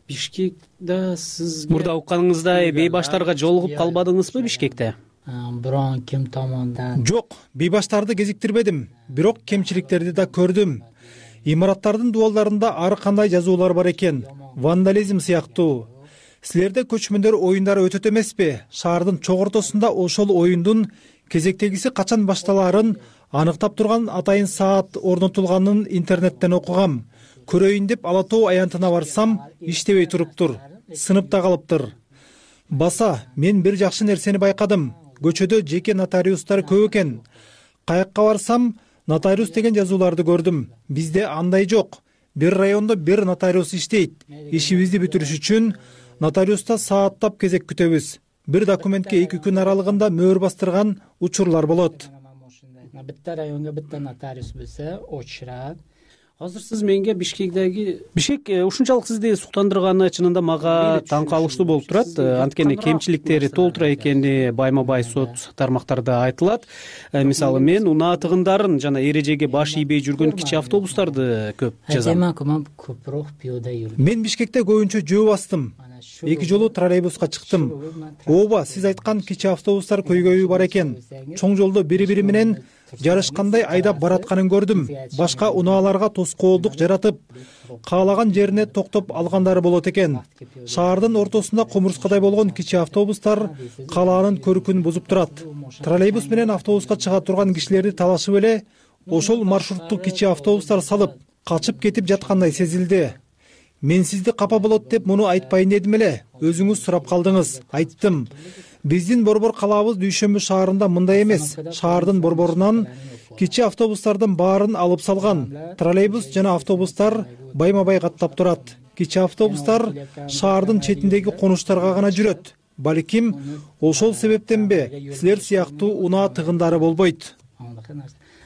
Бишкекте сиз мурда укканыңыздай бейбаштарга жолугуп калбадыңызбы Бишкекте? Бирок ким томондан? Жок, бейбаштарды кезиктирбедим, бирок кемчиликтерди да көрдүм. Имараттардын дубалдарында ар кандай жазуулар бар экен, вандализм сыяктуу. Силерде көчмөндөр оюндары өтөт эмеспи? Шаардын чок ортосунда ошол оюндун кезектегиси качан башталаарын аныктап турган атайын саат орнотулганын интернеттен окугам. Көрөйүн деп Ала Тоо аянтына барсам, иштебей туруптур. Сыныпта калыптыр. Баса, мен бир жакшы нерсени байкадым. Көчөдө жеке нотариустар көп экен. Каякка барсам, нотариус деген жазууларды көрдүм. Бизде андай жок. Бир райондо бир нотариус иштейт. Ишибизди бүтүрүш үчүн нотариуста сааттап кезек күтөбүз. Бир документке эки күн аралыгында мөөр бастырган учурлар болот. Битте районго битте нотариус билсе, очрат. азыр сиз менге Бишкектеги Бишкек ушунчалык сизди суктандырганы чынында мага таң калыштуу болуп турат. Анткени кемчиликтери толтура экени байма бай сот тармактарда айтылат. Мисалы мен унаа тыгындарын жана эрежеге баш ийбей жүргөн кичи автобустарды көп жазам. Көпрок пиёда жүрдүм. Мен Бишкекте көбүнчө жөө бастым. Эки жолу троллейбуска чыктым. Ооба, сиз айткан кичи автобустар көйгөйү бар экен. Чоң жолдо бири-бири менен жарышкандай айдап баратканын көрдүм. Башка унааларга тоскоолдук жаратып, каалаган жерине токтоп алгандары болот экен. Шаардын ортосунда кумурскадай болгон кичи автобустар калаанын көркүн бузуп турат. Троллейбус менен автобуска чыга турган кишилерди талашып эле ошол маршрутту кичи автобустар салып, качып кетип жаткандай сезилди. Мен сизди капа болот деп муну айтпайын дедим эле. Өзүңүз сурап калдыңыз. Айттым. Биздин борбор калаабыз Дүйшөмбү шаарында мындай эмес. Шаардын борборунан кичи автобустардын баарын алып салган. Троллейбус жана автобустар байма-бай каттап турат. Кичи автобустар шаардын четиндеги конуштарга гана жүрөт. Балким ошол себептенби силер сыяктуу унаа тыгындары болбойт.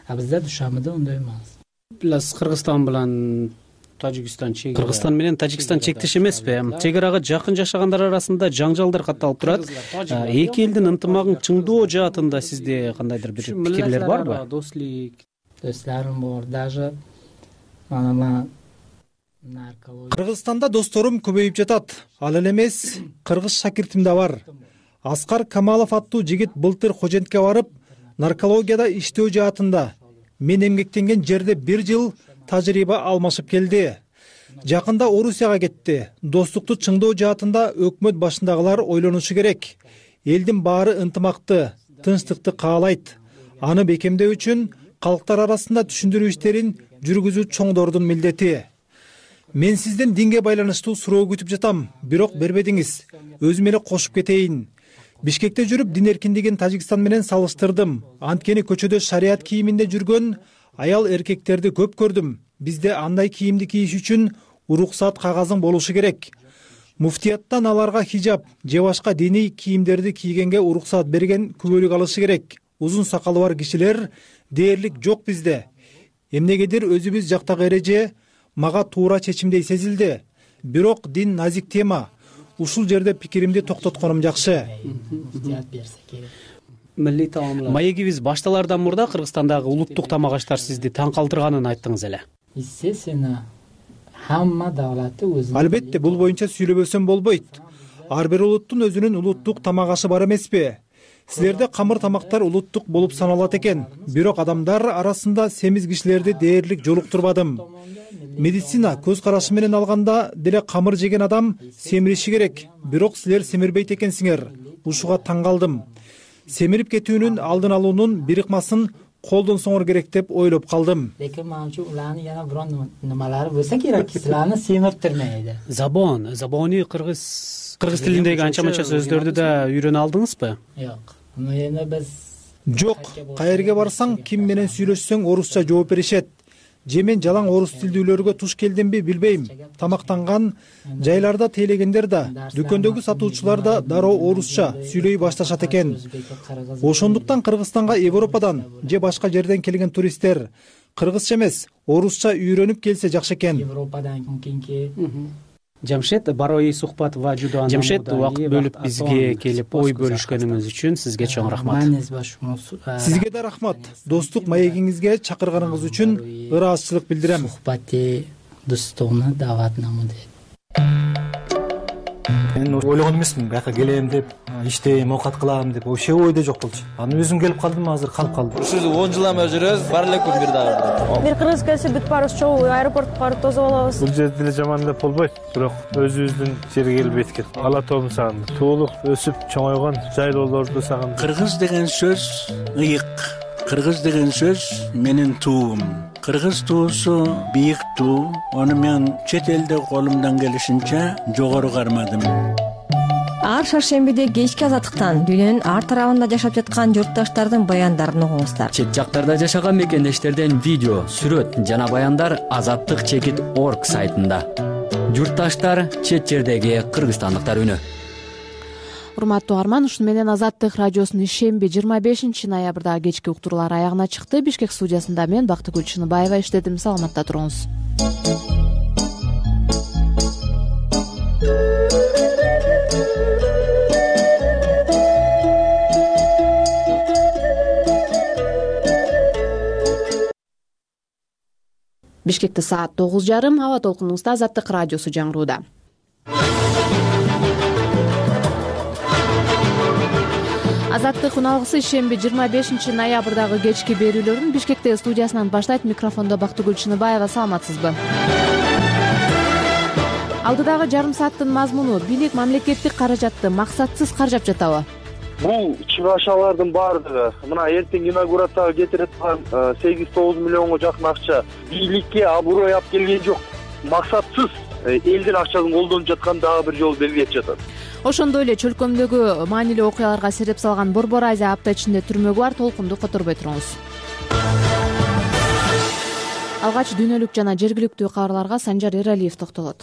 А бизде Дүйшөмбүдө ондай эмес. Плюс Кыргызстан менен Тажикстан чек Кыргызстан менен Тажикстан чектеш эмеспи? Чек-арага жакын жашагандар арасында жаңжалдар катталып турат. Эки элдин ынтымагын чыңдоо жаатында сизде кандайдыр бир пикирлер барбы? Досторум бар, даже мана Кыргызстанда досторум көбөйүп жатат. Ал эле эмес, кыргыз шакиртим да бар. Аскар Камалов аттуу жигит былтыр Хожентке барып, наркологияда иштөө жаатында мен эмгектенген жерде бир жыл тажрыйба алмашып келди. Жакында Орусияга кетти. Достукту чыңдоо жаатында өкмөт башындагылар ойлонушу керек. Элдин баары ынтымакты, тынчтыкты каалайт. Аны бекемдөө үчүн калктар арасында түшүндүрүү иштерин жүргүзүү чоңдордун милдети. Мен сизден динге байланыштуу суроо күтүп жатам, бирок бербедиңиз. Өзүм эле кошуп кетейин. Бишкекте жүрүп дин эркиндигин Тажикстан менен салыштырдым. Анткени көчөдө шарият кийиминде жүргөн аял эркектерди көп көрдүм. Бизде андай кийимди кийиш үчүн уруксат кагазың болушу керек. Муфтияттан аларга хижаб же башка диний кийимдерди кийгенге уруксат берген күбөлүк алышы керек. Узун сакалы бар кишилер дээрлик жок бизде. Эмнегедир өзүбүз жактагы эреже мага туура чечимдей сезилди. Бирок дин назик тема. Ушул жерде пикиримди токтотконум жакшы. Маегибиз башталардан мурда Кыргызстандагы улуттук тамак аштар сизди таң калтырганын айттыңыз эле. Естественно, хамма давлаты өзүнүн. Албетте, бул боюнча сүйлөбөсөм болбойт. Ар бир улуттун өзүнүн улуттук тамак ашы бар эмеспи? Силерде камыр тамактар улуттук болуп саналат экен. Бирок адамдар арасында семиз кишилерди дээрлик жолуктурбадым. Медицина көз карашы менен алганда деле камыр жеген адам семириши керек. Бирок силер семирбейт экенсиңер. Ушуга таң калдым. Семирип кетүүнүн алдын алуунун бир ыкмасын колдонсоңор керек деп ойлоп калдым. Лекин манчу уланы жана бирон немалары болсо керек, силерни семиртирмейди. Забон, забони кыргыз кыргыз тилиндеги анча-манча сөздөрдү да үйрөнө алдыңызбы? Жок. Муну биз Жок, каерге барсаң, ким менен сүйлөшсөң орусча жооп беришет. Же мен жалаң орус тилдүүлөргө туш келдимби билбейм. Тамактанган жайларда тейлегендер да, дүкөндөгү сатуучулар да дароо орусча сүйлөй башташат экен. Ошондуктан Кыргызстанга Европадан же башка жерден келген туристтер кыргызча эмес, орусча үйрөнүп келсе жакшы экен. Европадан кийинки Жамшет, барой сухбат ва жудо анамуда. Жамшет, убакыт бөлүп бизге келип ой бөлүшкөнүңүз үчүн сизге чоң рахмат. Сизге да рахмат. Достук маегиңизге чакырганыңыз үчүн ыраазычылык билдирем. Сухбати достугуна даватнамы дейт. Мен ойлогон эмесмин, бияка келем деп, иштейм, оокат кылам деп, вообще ойдо жок болчу. Анан өзүм келип калдым, азыр калып калдым. Ушул он жылдан бери жүрөбүз, бар эле күн бир дагы. Бир кыргыз келсе бүт баарыбыз чогуу аэропортко барып тосуп алабыз. Бул жерде деле жаман деп болбойт, бирок өзүбүздүн жерге келип эткет. Ала тообун сагындым. Туулуп, өсүп, чоңойгон жайлоолорду сагындым. Кыргыз деген сөз ыйык. Кыргыз деген сөз менин туум. Кыргыз туусу бийик туу. Аны мен чет элде колумдан келишинче жогору кармадым. Ар шаршембиде кечки азаттыктан дүйнөнүн ар тарабында жашап жаткан журтташтардын баяндарын угуңуздар. Чет жактарда жашаган мекендештерден видео, сүрөт жана баяндар азаттык чекит точка орг сайтында. Журтташтар, чет жердеги кыргызстандыктар үнү. урматтуу угарман, ушуну менен Азаттык радиосунун ишемби жыйырма бешинчи ноябрдагы кечки уктуруулары аягына чыкты. Бишкек студиясында мен Бактыгүл Чыныбаева иштедим. Саламатта туруңуз. Бишкекте саат тогуз жарым, аба толкунубузда Азаттык радиосу жаңырууда. Азаттык уналгысы ишемби жыйырма бешинчи ноябрдагы кечки берүүлөрүн Бишкектеги студиясынан баштайт. Микрофондо Бактыгүл Чыныбаева. Саламатсызбы? Алдыдагы жарым сааттын мазмуну: бийлик мамлекеттик каражатты максатсыз каржап жатабы? Бул чыгашалардын баардыгы мына эртең инаугурацияга кетирип аткан сегиз тогуз миллионго жакын акча бийликке абурой алып келген жок. Максатсыз элдин акчасын колдонуп жаткан дагы бир жолу белгилеп жатат. Ошондой эле чөлкөмдөгү маанилүү окуяларга себеп салган Борбор Азия апта ичинде түрмөгү бар. Толкунду которбой туруңуз. Алгач дүйнөлүк жана жергиликтүү кабарларга Санжар Эралиев токтолот.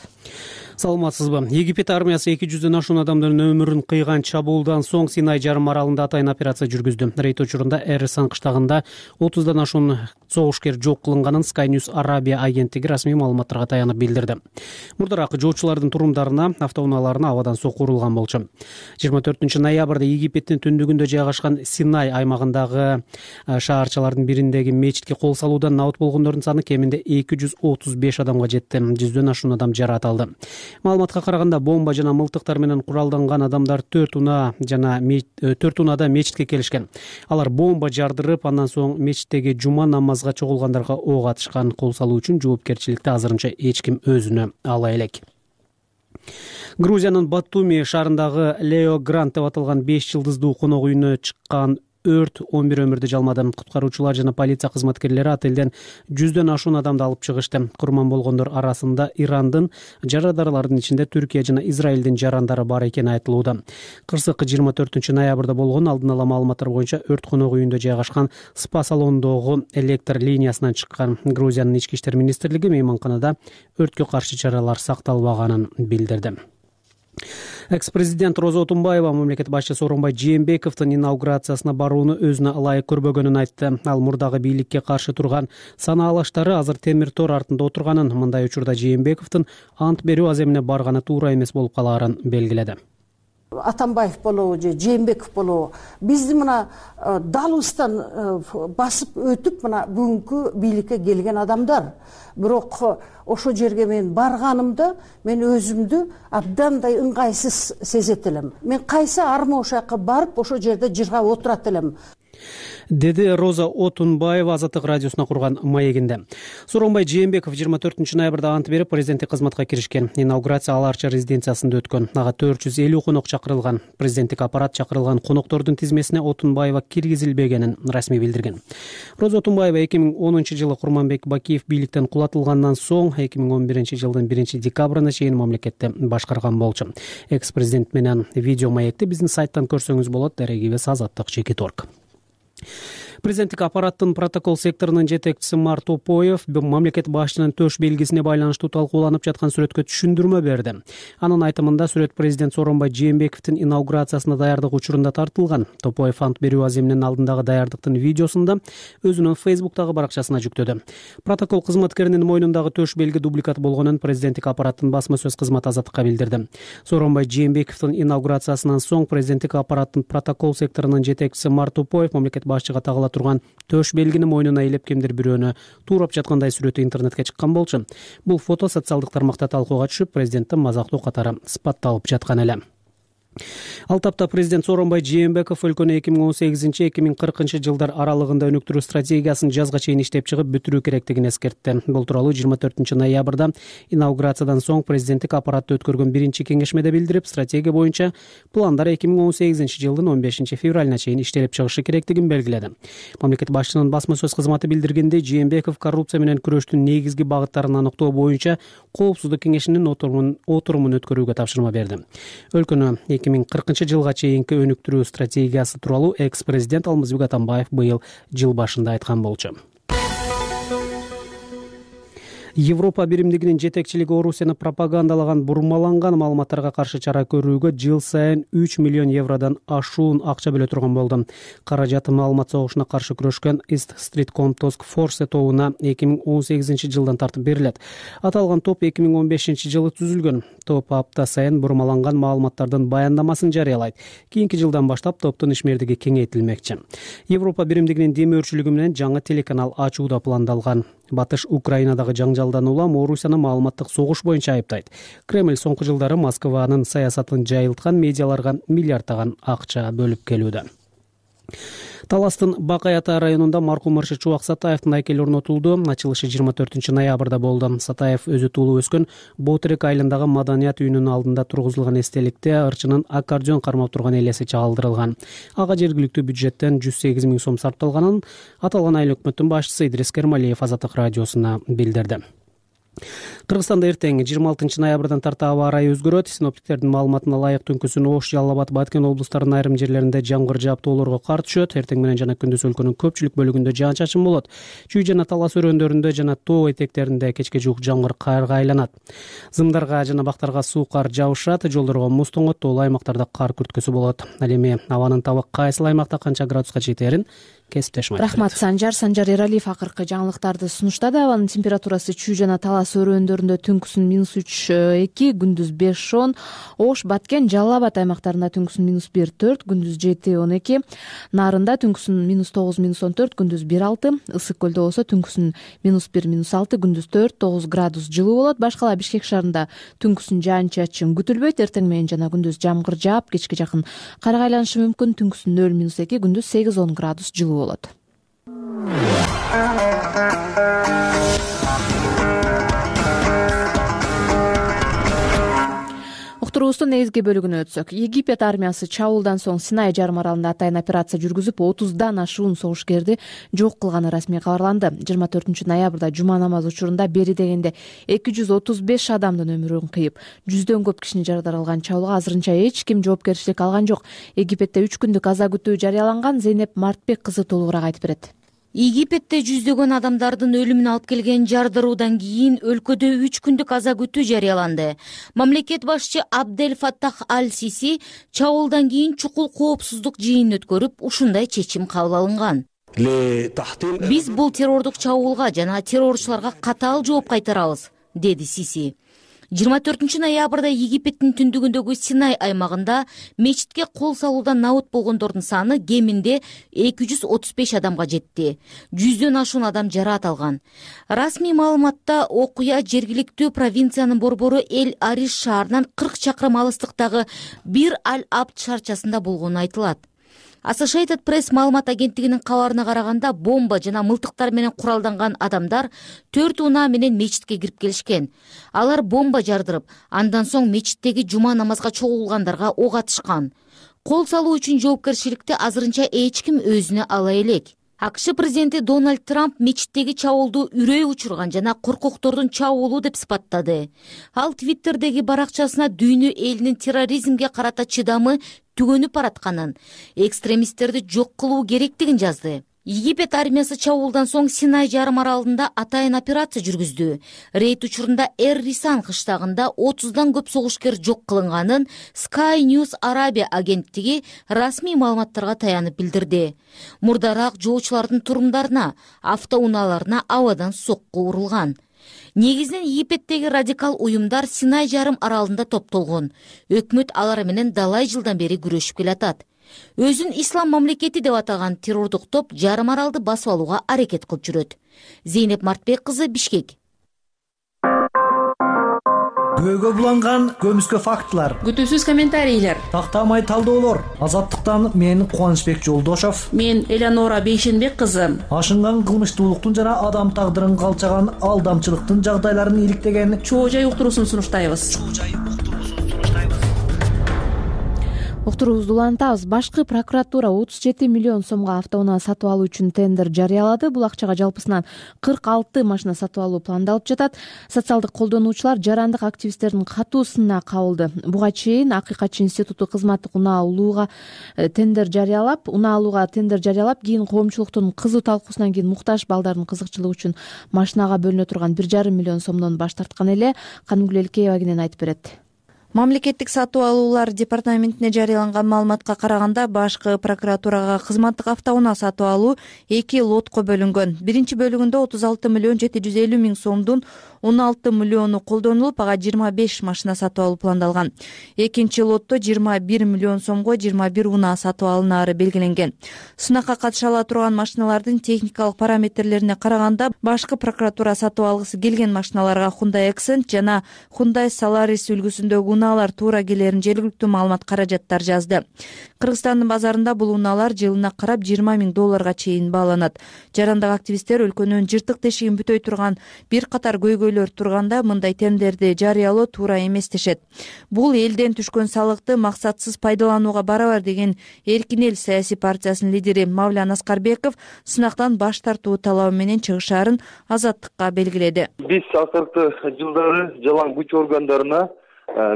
Саламатсызбы? Египет армиясы эки жүздөн ашуун адамдын өмүрүн кыйган чабуулдан соң Синай жарым аралында атайын операция жүргүздү. Рейд учурунда Эрсан кыштагында отуздан ашуун согушкер жок кылынганын Sky News Arabia агенттиги расмий маалыматтарга таянып билдирди. Мурдараак жолчулардын турумдарына, автоунааларына абадан сокку урулган болчу. жыйырма төртүнчү ноябрда Египеттин түндүгүндө жайгашкан Синай аймагындагы шаарчалардын бириндеги мечитке кол салуудан набыт болгондордун саны кеминде эки жүз отуз беш адамга жетти. жүздөн ашуун адам жаракат алды. Маалыматка караганда бомба жана мылтыктар менен куралданган адамдар төрт унаа жана төрт унаада мечитке келишкен. Алар бомба жардырып, андан соң мечиттеги жума намазга чогулгандарга ок атышкан. Кол салуу үчүн жоопкерчиликти азырынча эч ким өзүнө ала элек. Грузиянын Батуми шаарындагы Лео Грант деп аталган беш жылдыздуу конок үйүнө чыккан өрт он бир өмүрдү жалмады. Куткаруучулар жана полиция кызматкерлери отелден жүздөн ашуун адамды алып чыгышты. Курман болгондор арасында Ирандын жарандарлардын ичинде Түркия жана Израилдин жарандары бар экени айтылууда. Кырсык жыйырма төртүнчү ноябрда болгон. Алдын ала маалыматтар боюнча өрт конок үйүндө жайгашкан спа салонундогу электр линиясынан чыккан. Грузиянын ички иштер министрлиги мейманканада өрткө каршы чаралар сакталбаганын билдирди. Экс-президент Роза Отунбаева мамлекет башчысы Сооронбай Жээнбековдун инаугурациясына барууну өзүнө ылайык көрбөгөнүн айтты. Ал мурдагы бийликке каршы турган санаалаштары азыр темир тор артында отурганын, мындай учурда Жээнбековдун ант берүү аземине барганы туура эмес болуп калаарын белгиледи. Атамбаев болобу же Жээнбеков болобу бизди мына далыбыздан басып өтүп мына бүгүнкү бийликке келген адамдар. Бирок ошо жерге мен барганымда мен өзүмдү абдандай ыңгайсыз сезет элем. Мен кайсы арма ошакка барып ошо жерде жыргап отурат элем, деди Роза Отунбаева Азаттык радиосуна курган маегинде. Сооронбай Жээнбеков жыйырма төртүнчү ноябрда ант берип президенттик кызматка киришкен. Инаугурация Ал Арча резиденциясында өткөн. Ага төрт жүз элүү конок чакырылган. Президенттик аппарат чакырылган коноктордун тизмесине Отунбаева киргизилбегенин расмий билдирген. Роза Отунбаева эки миң онунчу жылы Курманбек Бакиев бийликтен кулатылгандан соң эки миң он биринчи жылдын биринчи декабрына чейин мамлекетти башкарган болчу. Экс-президент менен видео маекти биздин сайттан көрсөңүз болот. Дарегибиз Азаттык чекит орг. Президенттик аппараттын протокол секторунун жетекчиси Мар Топоев мамлекет башчынын төш белгисине байланыштуу талкууланып жаткан сүрөткө түшүндүрмө берди. Анын айтымында сүрөт президент Сооронбай Жээнбековдун инаугурациясына даярдык учурунда тартылган. Топоев ант берүү аземинин алдындагы даярдыктын видеосунда өзүнүн Фейсбуктагы баракчасына жүктөдү. Протокол кызматкеринин мойнундагы төш белги дубликат болгонун президенттик аппараттын басма сөз кызматы Азаттыкка билдирди. Сооронбай Жээнбековдун инаугурациясынан соң президенттик аппараттын протокол секторунун жетекчиси Мар Топоев мамлекет башчыга тагыла турган төш белгини мойнуна илеп кимдир бирөөнү туурап жаткандай сүрөтү интернетке чыккан болчу. Бул фото социалдык тармакта талкууга түшүп, президенттин мазактуу катары сыпатталып жаткан эле. Ал тапта президент Сооронбай Жээнбеков өлкөнү эки миң он сегизинчи эки миң кыркынчы жылдар аралыгында өнүктүрүү стратегиясын жазга чейин иштеп чыгып бүтүрүү керектигин эскертти. Бул тууралуу жыйырма төртүнчү ноябрда инаугурациядан соң президенттик аппаратты өткөргөн биринчи кеңешмеде билдирип, стратегия боюнча пландар эки миң он сегизинчи жылдын он бешинчи февралына чейин иштелип чыгышы керектигин белгиледи. Мамлекет башчынын басма сөз кызматы билдиргендей, Жээнбеков коррупция менен күрөштүн негизги багыттарын аныктоо боюнча коопсуздук кеңешинин отурумун отурумун өткөрүүгө тапшырма берди. Өлкөнү эки миң кыркынчы жылга чейинки өнүктүрүү стратегиясы тууралуу экс-президент Алмазбек Атамбаев быйыл жыл башында айткан болчу. Европа биримдигинин жетекчилиги Орусияны пропагандалаган бурмаланган маалыматтарга каршы чара көрүүгө жыл сайын үч миллион евродон ашуун акча бөлө турган болду. Каражат маалымат согушуна каршы күрөшкөн East Street Task Force тобуна эки миң он сегизинчи жылдан тартып берилет. Аталган топ эки миң он бешинчи жылы түзүлгөн. Топ апта сайын бурмаланган маалыматтардын баяндамасын жарыялайт. Кийинки жылдан баштап топтун ишмердиги кеңейтилмекчи. Европа биримдигинин демөөрчүлүгү менен жаңы телеканал ачуу да пландалган. Батыш Украинадагы жаңжалдан улам Орусияны маалыматтык согуш боюнча айыптайт. Кремль соңку жылдары Москванын саясатын жайылткан медиаларга миллиарддаган акча бөлүп келүүдө. Таластын Бакай-Ата районунда маркум Мыршы Чубак Сатаевдин айкели орнотулду. Ачылышы жыйырма төртүнчү ноябрда болду. Сатаев өзү туулуп өскөн Ботерек айылындагы маданият үйүнүнүн алдында тургузулган эстеликте ырчынын аккордеон кармап турган элеси чагылдырылган. Ага жергиликтүү бюджеттен жүз сегиз миң сом сарпталганын аталган айыл өкмөттүн башчысы Идрис Кермалиев Азаттык радиосуна билдирди. Кыргызстанда эртең жыйырма алтынчы ноябрдан тарта аба ырайы өзгөрөт. Синоптиктердин маалыматына ылайык түнкүсүн Ош, Жалал Абад, Баткен облустарынын айрым жерлеринде жамгыр жаап тоолорго кар түшөт. Эртең менен жана күндүз өлкөнүн көпчүлүк бөлүгүндө жаан-чачын болот. Чүй жана Талас өрөөндөрүндө жана тоо этектеринде кечке жуук жамгыр карга айланат. Зымдарга жана бактарга суу кар жаушат, жолдорго муз тоңот, тоолуу аймактарда кар күрткөсү болот. Ал эми абанын табак кайсыл аймакта канча градуска жетерин кесиптешим айтат. Рахмат Санжар. Санжар Эралиев акыркы жаңылыктарды сунуштады. Абанын температурасы Чүй жана Талас өрөөндөрүндө түнкүсүн минус үч эки, күндүз беш он, Ош, Баткен, Жалал Абад аймактарында түнкүсүн минус бир төрт, күндүз жети он эки, Нарында түнкүсүн минус тогуз минус он төрт, күндүз бир алты, Ысык көлдө болсо түнкүсүн минус бир минус алты, күндүз төрт тогуз градус жылуу болот. Башкала Бишкек шаарында түнкүсүн жаан-чачын күтүлбөйт. Эртең менен жана күндүз жамгыр жаап, кечке жакын карга айланышы мүмкүн. Түнкүсүн нөл минус эки, күндүз сегиз он градус жылуу болот. Уктуруубуздун негизги бөлүгүнө өтсөк, Египет армиясы чабуулдан соң Синай жарым аралында атайын операция жүргүзүп, отуздан ашуун согушкерди жок кылганы расмий кабарланды. жыйырма төртүнчү ноябрда жума намазы учурунда бери дегенде эки жүз отуз беш адамдын өмүрүн кыйып, жүздөн көп кишини жарадар алган чабуулга азырынча эч ким жоопкерчилик алган жок. Египетте үч күндүк аза күтүү жарыяланган. Зейнеп Мартбек кызы толугураак айтып берет. Египетте жүздөгөн адамдардын өлүмүн алып келген жардыруудан кийин өлкөдө үч күндүк аза күтүү жарыяланды. Мамлекет башчы Абдель Фаттах Аль-Сиси чабуулдан кийин чукул коопсуздук жыйынын өткөрүп, ушундай чечим кабыл алынган. Биз бул террордук чабуулга жана террорчуларга катаал жооп кайтарабыз, деди Сиси. жыйырма төртүнчү ноябрда Египеттин түндүгүндөгү Синай аймагында мечитке кол салуудан набыт болгондордун саны кеминде эки жүз отуз беш адамга жетти. жүздөн ашуун адам жараат алган. Расмий маалыматта окуя жергиликтүү провинциянын борбору Эль-Ариш шаарынан кырк чакырым алыстыктагы Бир Аль-Абд шаарчасында болгону айтылат. Associated Press маалымат агенттигинин кабарына караганда, бомба жана мылтыктар менен куралданган адамдар төрт унаа менен мечитке кирип келишкен. Алар бомба жардырып, андан соң мечиттеги жума намазга чогулгандарга ок атышкан. Кол салуу үчүн жоопкерчиликти азырынча эч ким өзүнө ала элек. АКШ президенти Дональд Трамп мечиттеги чабуулду үрөй учурган жана коркоктордун чабуулу деп сыпаттады. Ал Твиттердеги баракчасына дүйнө элинин терроризмге карата чыдамы түгөнүп баратканын, экстремисттерди жок кылуу керектигин жазды. Египет армиясы чабуулдан соң Синай жарым аралында атайын операция жүргүздү. Рейд учурунда Эр-Рисан кыштагында отуздан көп согушкер жок кылынганын Sky News Arabia агенттиги расмий маалыматтарга таянып билдирди. Мурдараак жоочулардын турумдарына, автоунааларына абадан сокку урулган. Негизинен Египеттеги радикал уюмдар Синай жарым аралында топтолгон. Өкмөт алар менен далай жылдан бери күрөшүп келатат. Өзүн ислам мамлекети деп атаган террордук топ жарым аралды басып алууга аракет кылып жүрөт. Зейнеп Мартбек кызы, Бишкек. Күбөгө буланган көмүскө фактылар, күтүүсүз комментарийлер, тактамай талдоолор. Азаттыктан мен Кубанычбек Жолдошов, мен Элеонора Бейшенбек кызы. Ашынган кылмыштуулуктун жана адам тагдырын калчаган алдамчылыктын жагдайларын иликтеген чоо жай уктуруусун сунуштайбыз. уктуруубузду улантабыз. Башкы прокуратура отуз жети миллион сомго автоунаа сатып алуу үчүн тендер жарыялады. Бул акчага жалпысынан кырк алты машина сатып алуу пландалып жатат. Социалдык колдонуучулар жарандык активисттердин катуусуна кабылды. Буга чейин Акыйкатчы институту кызматтык унаа алууга тендер жарыялап, унаа алууга тендер жарыялап, кийин коомчулуктун кызуу талкуусунан кийин муктаж балдардын кызыкчылыгы үчүн машинага бөлүнө турган бир жарым миллион сомдон баш тарткан эле. Канымгүл Элкеева кенен айтып берет. Мамлекеттик сатып алуулар департаментине жарыяланган маалыматка караганда, башкы прокуратурага кызматтык автоунаа сатып алуу эки лотко бөлүнгөн. Биринчи бөлүгүндө отуз алты миллион жети жүз элүү миң сомдун он алты миллиону колдонулуп, ага жыйырма беш машина сатып алуу пландалган. Экинчи лотто жыйырма бир миллион сомго жыйырма бир унаа сатып алынаары белгиленген. Сынакка катыша ала турган машиналардын техникалык параметрлерине караганда, башкы прокуратура сатып алгысы келген машиналарга Hyundai Accent жана Hyundai Solaris үлгүсүндөгү унаалар туура келерин жергиликтүү маалымат каражаттар жазды. Кыргызстандын базарында бул унаалар жылына карап жыйырма миң долларга чейин бааланат. Жарандык активисттер өлкөнүн жыртык тешигин бүтөй турган бир катар көйгөйлөр турганда мындай тендерди жарыялоо туура эмес дешет. Бул элден түшкөн салыкты максатсыз пайдаланууга барабар деген Эркин эл саясий партиясынын лидери Мавлян Аскарбеков сынактан баш тартуу талабы менен чыгышаарын Азаттыкка белгиледи. Биз акыркы жылдары жалаң күч органдарына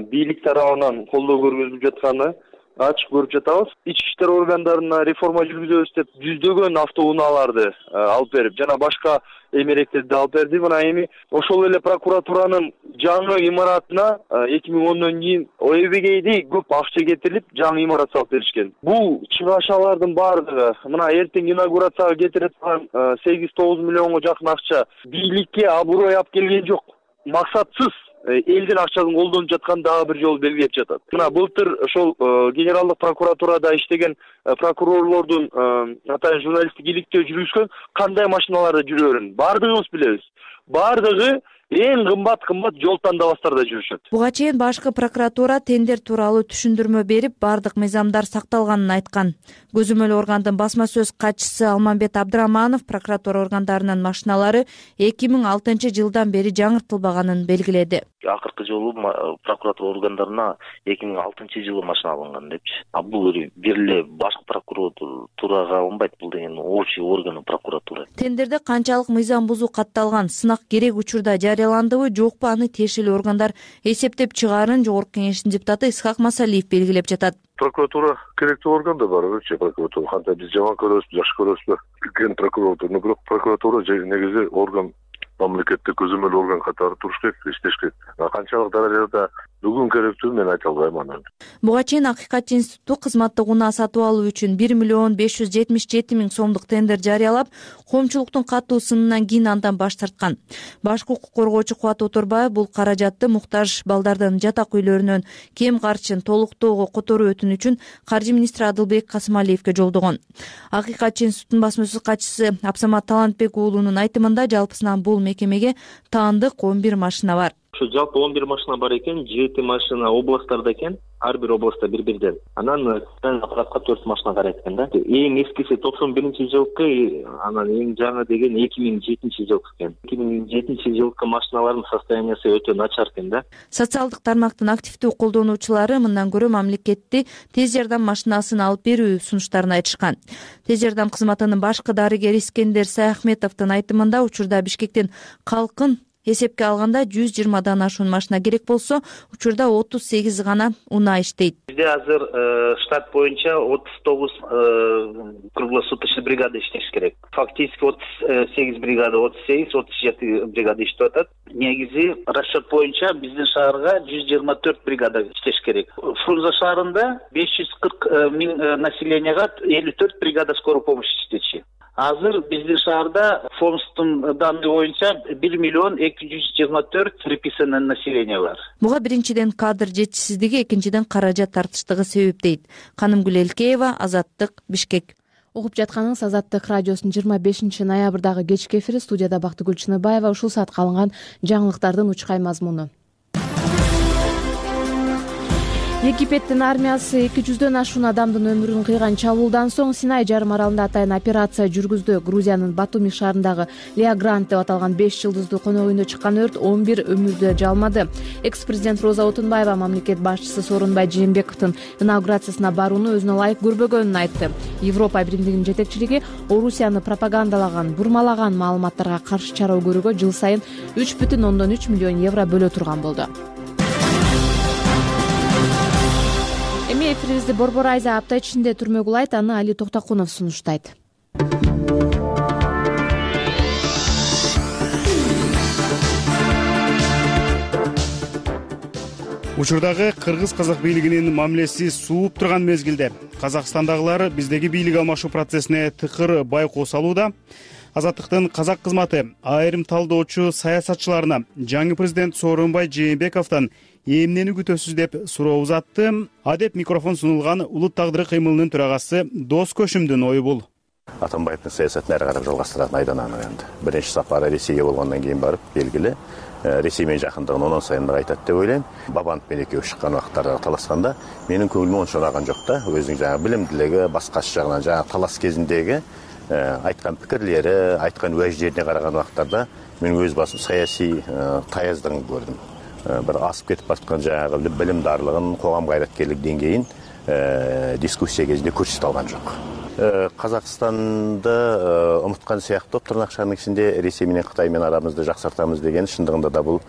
бийлик тарабынан колдоо көргөзүлүп жатканы ачык көрүп жатабыз. Ички иштер органдарына реформа жүргүзөбүз деп жүздөгөн автоунааларды алып берип, жана башка эмеректерди алып берди. Мына эми ошол эле прокуратуранын жаңы имаратына эки миң ондон кийин ОЭБгейди көп акча кетирилип, жаңы имарат салып беришкен. Бул чыгашалардын баардыгы мына эртең инаугурацияга кетире турган сегиз тогуз миллионго жакын акча бийликке абурой алып келген жок. Максатсыз элдин акчасын колдонуп жаткан дагы бир жолу белгилеп жатат. Мына былтыр ошол генералдык прокуратурада иштеген прокурорлордун атайын журналисттик иликтөө жүргүзгөн кандай машиналарда жүрөөрүн баардыгыбыз билебиз. Баардыгы эң кымбат кымбат жол тандабастарда жүрүшөт. Буга чейин башкы прокуратура тендер тууралуу түшүндүрмө берип, бардык мыйзамдар сакталганын айткан. Көзөмөл органдын басма сөз катчысы Алмамбет Абдыраманов прокуратура органдарынын машиналары эки миң алтынчы жылдан бери жаңыртылбаганын белгиледи. Акыркы жолу прокуратура органдарына эки миң алтынчы жылы машина алынган депчи. А бул бир эле башкы прокуратурага алынбайт, бул деген общий органы прокуратура. Тендерде канчалык мыйзам бузуу катталган, сынак керек учурда жарыяландыбы, жокпу, аны тиешелүү органдар эсептеп чыгаарын Жогорку Кеңештин депутаты Исхак Масалиев белгилеп жатат. Прокуратура керектүү орган да бар, өчө прокуратура. Кантип биз жаман көрөбүзбү, жакшы көрөбүзбү? Кен прокуратура, бирок прокуратура негизи орган, мамлекеттик көзөмөл орган катары туруш керек, иштеш керек. Канчалык даражада бүгүн керектүү мен айта албайм аны. Буга чейин Акыйкатчы институту кызматтык унаа сатып алуу үчүн бир миллион беш жүз жетимиш жети миң сомдук тендер жарыялап, коомчулуктун катуу сынынан кийин андан баш тарткан. Башкы укук коргоочу Кубат Оторбаев бул каражатты муктаж балдардын жатак үйлөрүнөн кем карчын толуктоого которуу өтүнү үчүн каржы министри Адылбек Касымалиевке жолдогон. Акыйкатчы институтунун басма сөз катчысы Абсамат Талантбек уулунун айтымында жалпысынан бул мекемеге таандык он бир машина бар. Ошо жалпы он бир машина бар экен, жети машина областтарда экен, ар бир областта бир-бирден. Анан аппаратка төрт машина карайт экен да. Эң эскиси токсон биринчи жылкы, анан эң жаңы деген эки миң жетинчи жылкы экен. эки миң жетинчи жылкы машиналардын состояниясы өтө начар экен да. Социалдык тармактын активдүү колдонуучулары мындан көрө мамлекетти тез жардам машинасын алып берүү сунуштарын айтышкан. Тез жардам кызматынын башкы дарыгери Искендер Саяхметовдун айтымында учурда Бишкектин калкын эсепке алганда жүз жыйырмадан ашуун машина керек болсо, учурда отуз сегиз гана унаа иштейт. Бизде азыр штат боюнча отуз тогуз круглосуточный бригада иштеш керек. Фактически отуз сегиз бригада, отуз сегиз отуз жети бригада иштеп атат. Негизи расчет боюнча биздин шаарга жүз жыйырма төрт бригада иштеш керек. Фрунзе шаарында беш жүз кырк миң населенияга элүү төрт бригада скорой помощи иштечи. Азыр биздин шаарда ФОМСтун данные боюнча бир миллион эки жүз жыйырма төрт приписанный население бар. Буга биринчиден кадр жетишсиздиги, экинчиден каражат тартыштыгы себеп дейт. Канымгүл Элкеева, Азаттык, Бишкек. Угуп жатканыңыз Азаттык радиосунун жыйырма бешинчи ноябрдагы кечки эфири. Студияда Бактыгүл Чыныбаева. Ушул саатка алынган жаңылыктардын учкай мазмуну. Египеттин армиясы эки жүздөн ашуун адамдын өмүрүн кыйган чабуулдан соң Синай жарым аралында атайын операция жүргүздү. Грузиянын Батуми шаарындагы Леа Грант деп аталган беш жылдыздуу конок үйүндө чыккан өрт он бир өмүрдү жалмады. Экс-президент Роза Отунбаева мамлекет башчысы Сооронбай Жээнбековдун инаугурациясына барууну өзүнө ылайык көрбөгөнүн айтты. Европа биримдигинин жетекчилиги Орусияны пропагандалаган, бурмалаган маалыматтарга каршы чара көрүүгө жыл сайын үч бүтүн ондон үч миллион евро бөлө турган болду. Эми эфирибизди Борбор Айза апта ичинде түрмө кулайт, аны Али Токтокунов сунуштайт. Учурдагы кыргыз-казак бийлигинин мамилеси сууп турган мезгилде Казакстандагылар биздеги бийлик алмашуу процессине тыкыр байкоо салууда. Азаттыктын казак кызматы айрым талдоочу саясатчыларына жаңы президент Сооронбай Жээнбековдон эмнени күтөсүз деп суроо узатты. Адеп микрофон сунулган Улут тагдыры кыймылынын төрагасы Дос Көшүмдүн ою бул. Атамбаевдин саясатын ары карап жалгастыратын айдан анык энди. Биринчи сапары Ресейге болгондон кийин барып, белгиле Ресей менен жакындыгын онон сайын кайтат деп ойлойм. Бабанов менен экөө чыккан убактарда талашканда менин көңүлүмө ончо унаган жок да. Өзүнүн жаңы билимдүүлүгү, башкачы жагынан жаңы талаш кезиндеги айткан пикирлери, айткан уаждерине караган убактарда мен өз басым саясий таяздыгын көрдүм. Бир асып кетип бараткан жаңы билимдарлыгын, коом кайраткерлик деңгейин дискуссия кезинде көрсөтө алган жок. Казакстанды умуткан сыяктуу тырнакчанын ичинде Ресей менен Кытай менен арамызды жаксартабыз деген чындыгында да бул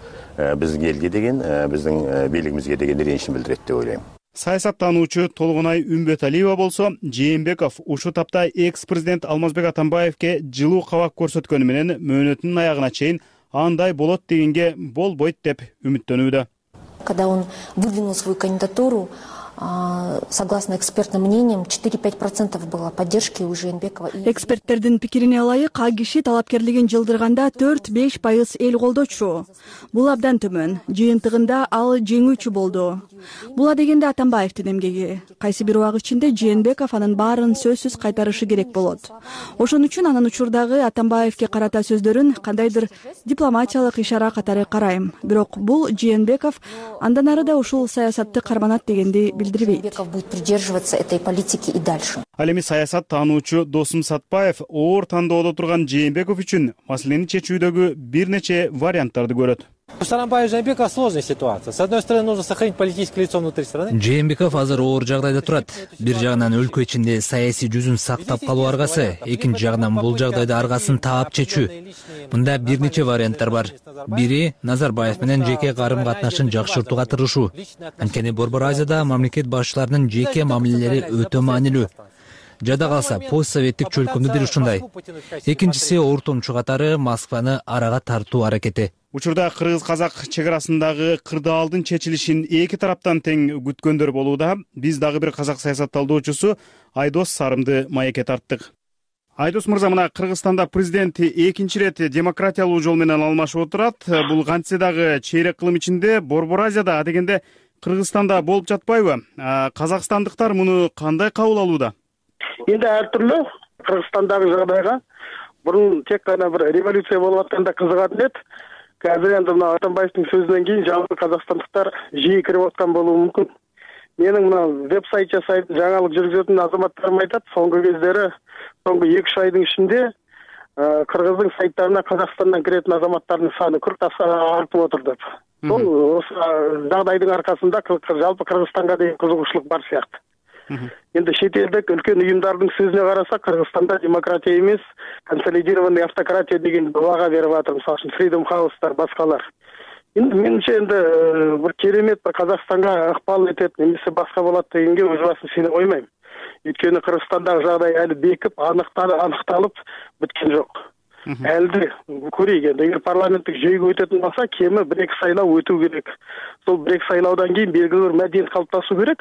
биздин элге деген, биздин бийлигибизге деген ренишин билдирет деп ойлойм. Саясаттануучу Толгонай Үмбөталиева болсо, Жээнбеков ушул тапта экс-президент Алмазбек Атамбаевке жылуу кабак көрсөткөнү менен мөөнөтүнүн аягына чейин андай болот дегенге болбойт деп үмүттөнүүдө. Когда он выдвинул свою кандидатуру, согласно экспертным мнениям, четыре-пять процентов было поддержки у Жээнбекова. Эксперттердин пикирине ылайык, а киши талапкерлигин жылдырганда төрт-беш пайыз эл колдочу. Бул абдан төмөн. Жыйынтыгында ал жеңүүчү болду. Була дегенде Атамбаевдин эмгеги. Кайсы бир убак ичинде Жээнбеков анын баарын сөзсүз кайтарышы керек болот. Ошон үчүн анын учурдагы Атамбаевге карата сөздөрүн кандайдыр дипломатиялык ишара катары карайм. Бирок бул Жээнбеков андан ары да ушул саясатты карманат дегенди Жээнбеков будет придерживаться этой политики и дальше. Ал эми саясат таануучу Досум Сатпаев оор тандоодо турган Жээнбеков үчүн маселени чечүүдөгү бир нече варианттарды көрөт. У Сооронбая Жээнбекова сложная ситуация. С одной стороны, нужно сохранить политическое лицо внутри страны. Жээнбеков азыр оор жагдайда турат. Бир жагынан өлкө ичинде саясий жүзүн сактап калуу аргасы, экинчи жагынан бул жагдайда аргасын таап чечүү. Мында бир нече варианттар бар. Бири Назарбаев менен жеке карым катнашын жакшыртууга тырышуу. Анткени Борбор Азияда мамлекет башчыларынын жеке мамилелери өтө маанилүү. Жада калса постсоветтик чөлкөмдө бир ушундай. Экинчиси ортомчу катары Москваны арага тартуу аракети. Учурда кыргыз-казак чек арасындагы кырдаалдын чечилишин эки тараптан тең күткөндөр болууда. Биз дагы бир казак саясатталдоочусу Айдос Сарымды маекке тарттык. Айдос мырза, мына Кыргызстанда президент экинчи ирет демократиялуу жол менен алмашып отурат. Бул кантсе дагы чейрек кылым ичинде Борбор Азияда дегенде Кыргызстанда болуп жатпайбы? Казакстандыктар муну кандай кабыл алууда? Енді әртүрлі Кыргызстандагы жагдайга бурун тек гана бир революция болуп атканда кызыгатын эт. Қазір енді мына Атамбаевдин сөзүнөн кийин жалпы казакстандыктар жиі кирип аткан болуу мүмкүн. Менин мына веб-сайт жасайт, жаңалык жүргүзөтүн азаматтарым айтат, соңку кездери, соңку эки үч айдын ичинде Кыргыздын сайттарына Казакстандан киретін азаматтардын саны кырк артып отур деп. Бул жагдайдын аркасында жалпы Кыргызстанга деген кызыгуучулук бар сыяктуу. Енді шетелдік үлкен ұйымдардың сөзіне қараса, Қырғызстанда демократия емес, консолидированный автократия деген баға беріп жатыр, мысалы үшін Freedom House-тар, басқалар. Енді меніңше енді бір керемет бір Қазақстанға ықпал етеді, немесе басқа болады дегенге өз басым сене қоймаймын. Өйткені Қырғызстандағы жағдай әлі бекіп, анықталып біткен жоқ. Әлді көрейік, енді егер парламенттік жүйеге өтетін болса, кемі бір-екі сайлау өту керек. Сол бір-екі сайлаудан кейін белгілі бір мәдениет қалыптасу керек.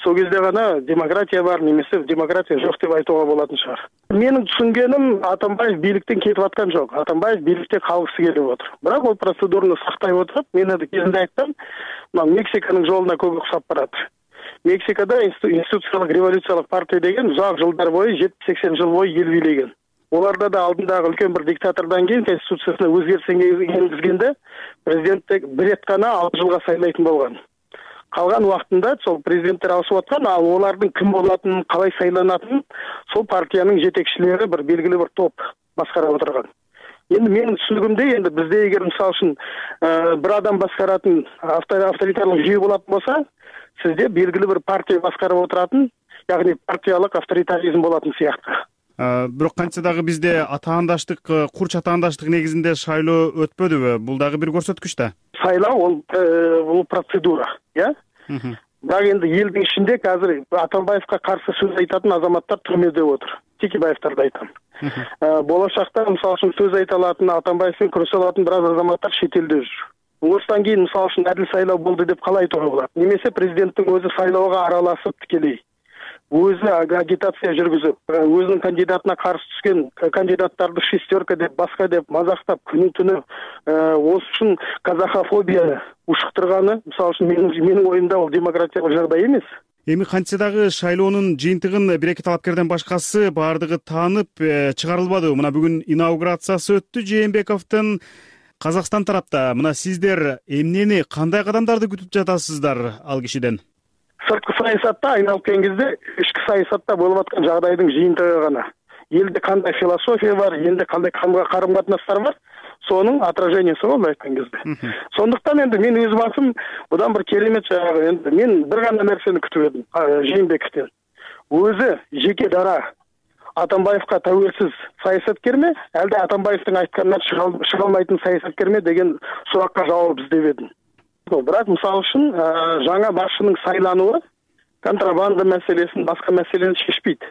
Сол кезде ғана демократия бар, немесе демократия жоқ деп айтуға болатын шығар. Менің түсінгенім, Атамбаев биліктен кетіп атқан жоқ. Атамбаев билікте қалғысы келіп отыр. Бірақ ол процедураны сақтай отырып, мен енді кезінде айттым, Мексиканың жолына көп ұқсап барады. Мексикада институциялық революциялық партия деген ұзақ жылдар бойы, жетпіс-сексен жыл бойы ел билеген. Оларда да алдындағы үлкен бір диктатордан кейін конституциясына өзгеріс енгізгенде президент бір рет қана алты жылға сайлайтын болған. калган убактында сол президенттер алышып аткан, ал олардын ким болатынын, калай сайланатынын сол партиянын жетекчилери бир белгилүү бир топ башкарып отурган. Енді менің түсінігімде енді бізде егер мысалы үшін бір адам басқаратын авторитарлық жүйе болатын болса, сізде белгілі бір партия басқарып отыратын, яғни партиялық авторитаризм болатын сияқты. Бирок кантсе дагы бизде атаандаштык, курч атаандаштык негизинде шайлоо өтпөдүбү? Бул дагы бир көрсөткүч да. Сайлоо ол бул процедура, я? Бірақ енді елдің ішінде қазір Атамбаевқа қарсы сөз айтатын азаматтар түрмеде отыр. Текебаевтарды айтам. Болашақта мысалы үшін сөз айта алатын, Атамбаевпен күресе алатын біраз азаматтар шетелде жүр. Осыдан кейін мысалы үшін әділ сайлау болды деп қалай айтуға болады? Немесе президенттің өзі сайлауға араласып тікелей, өзі агитация жүргізіп, өзінің кандидатына қарсы түскен кандидаттарды шестерка деп, басқа деп мазақтап, күні түні осы үшін казахофобия ушықтырғаны, мысалы үшін менің ойымда ол демократиялық жағдай емес. Эми кантсе дагы шайлоонун жыйынтыгын бир эки талапкерден башкасы баардыгы таанып чыгарылбады. Мына бүгүн инаугурациясы өттү Жээнбековдун. Казакстан тарапта мына сиздер эмнени, кандай кадамдарды күтүп жатасыздар ал кишиден? Сырткы саясатта айналып келген кезде ички саясатта болуп аткан жагдайдын жыйынтыгы гана. Элде кандай философия бар, элде кандай карым катнаштар бар, сонун отражениясы болуп айткан кезде. Сондуктан энди мен өз басым будан бир керемет жагы, энди мен бир гана нерсени күтүп едим Жээнбековдон. Өзү жеке дара Атамбаевка тәуелсиз саясаткерме, әлде Атамбаевдин айтканынан чыга алмайтын саясаткерме деген суракка жооп издеп едим. Бирок мисалы үчүн жаңа башчынын сайлануы контрабанда маселесин, башка маселени чечпейт.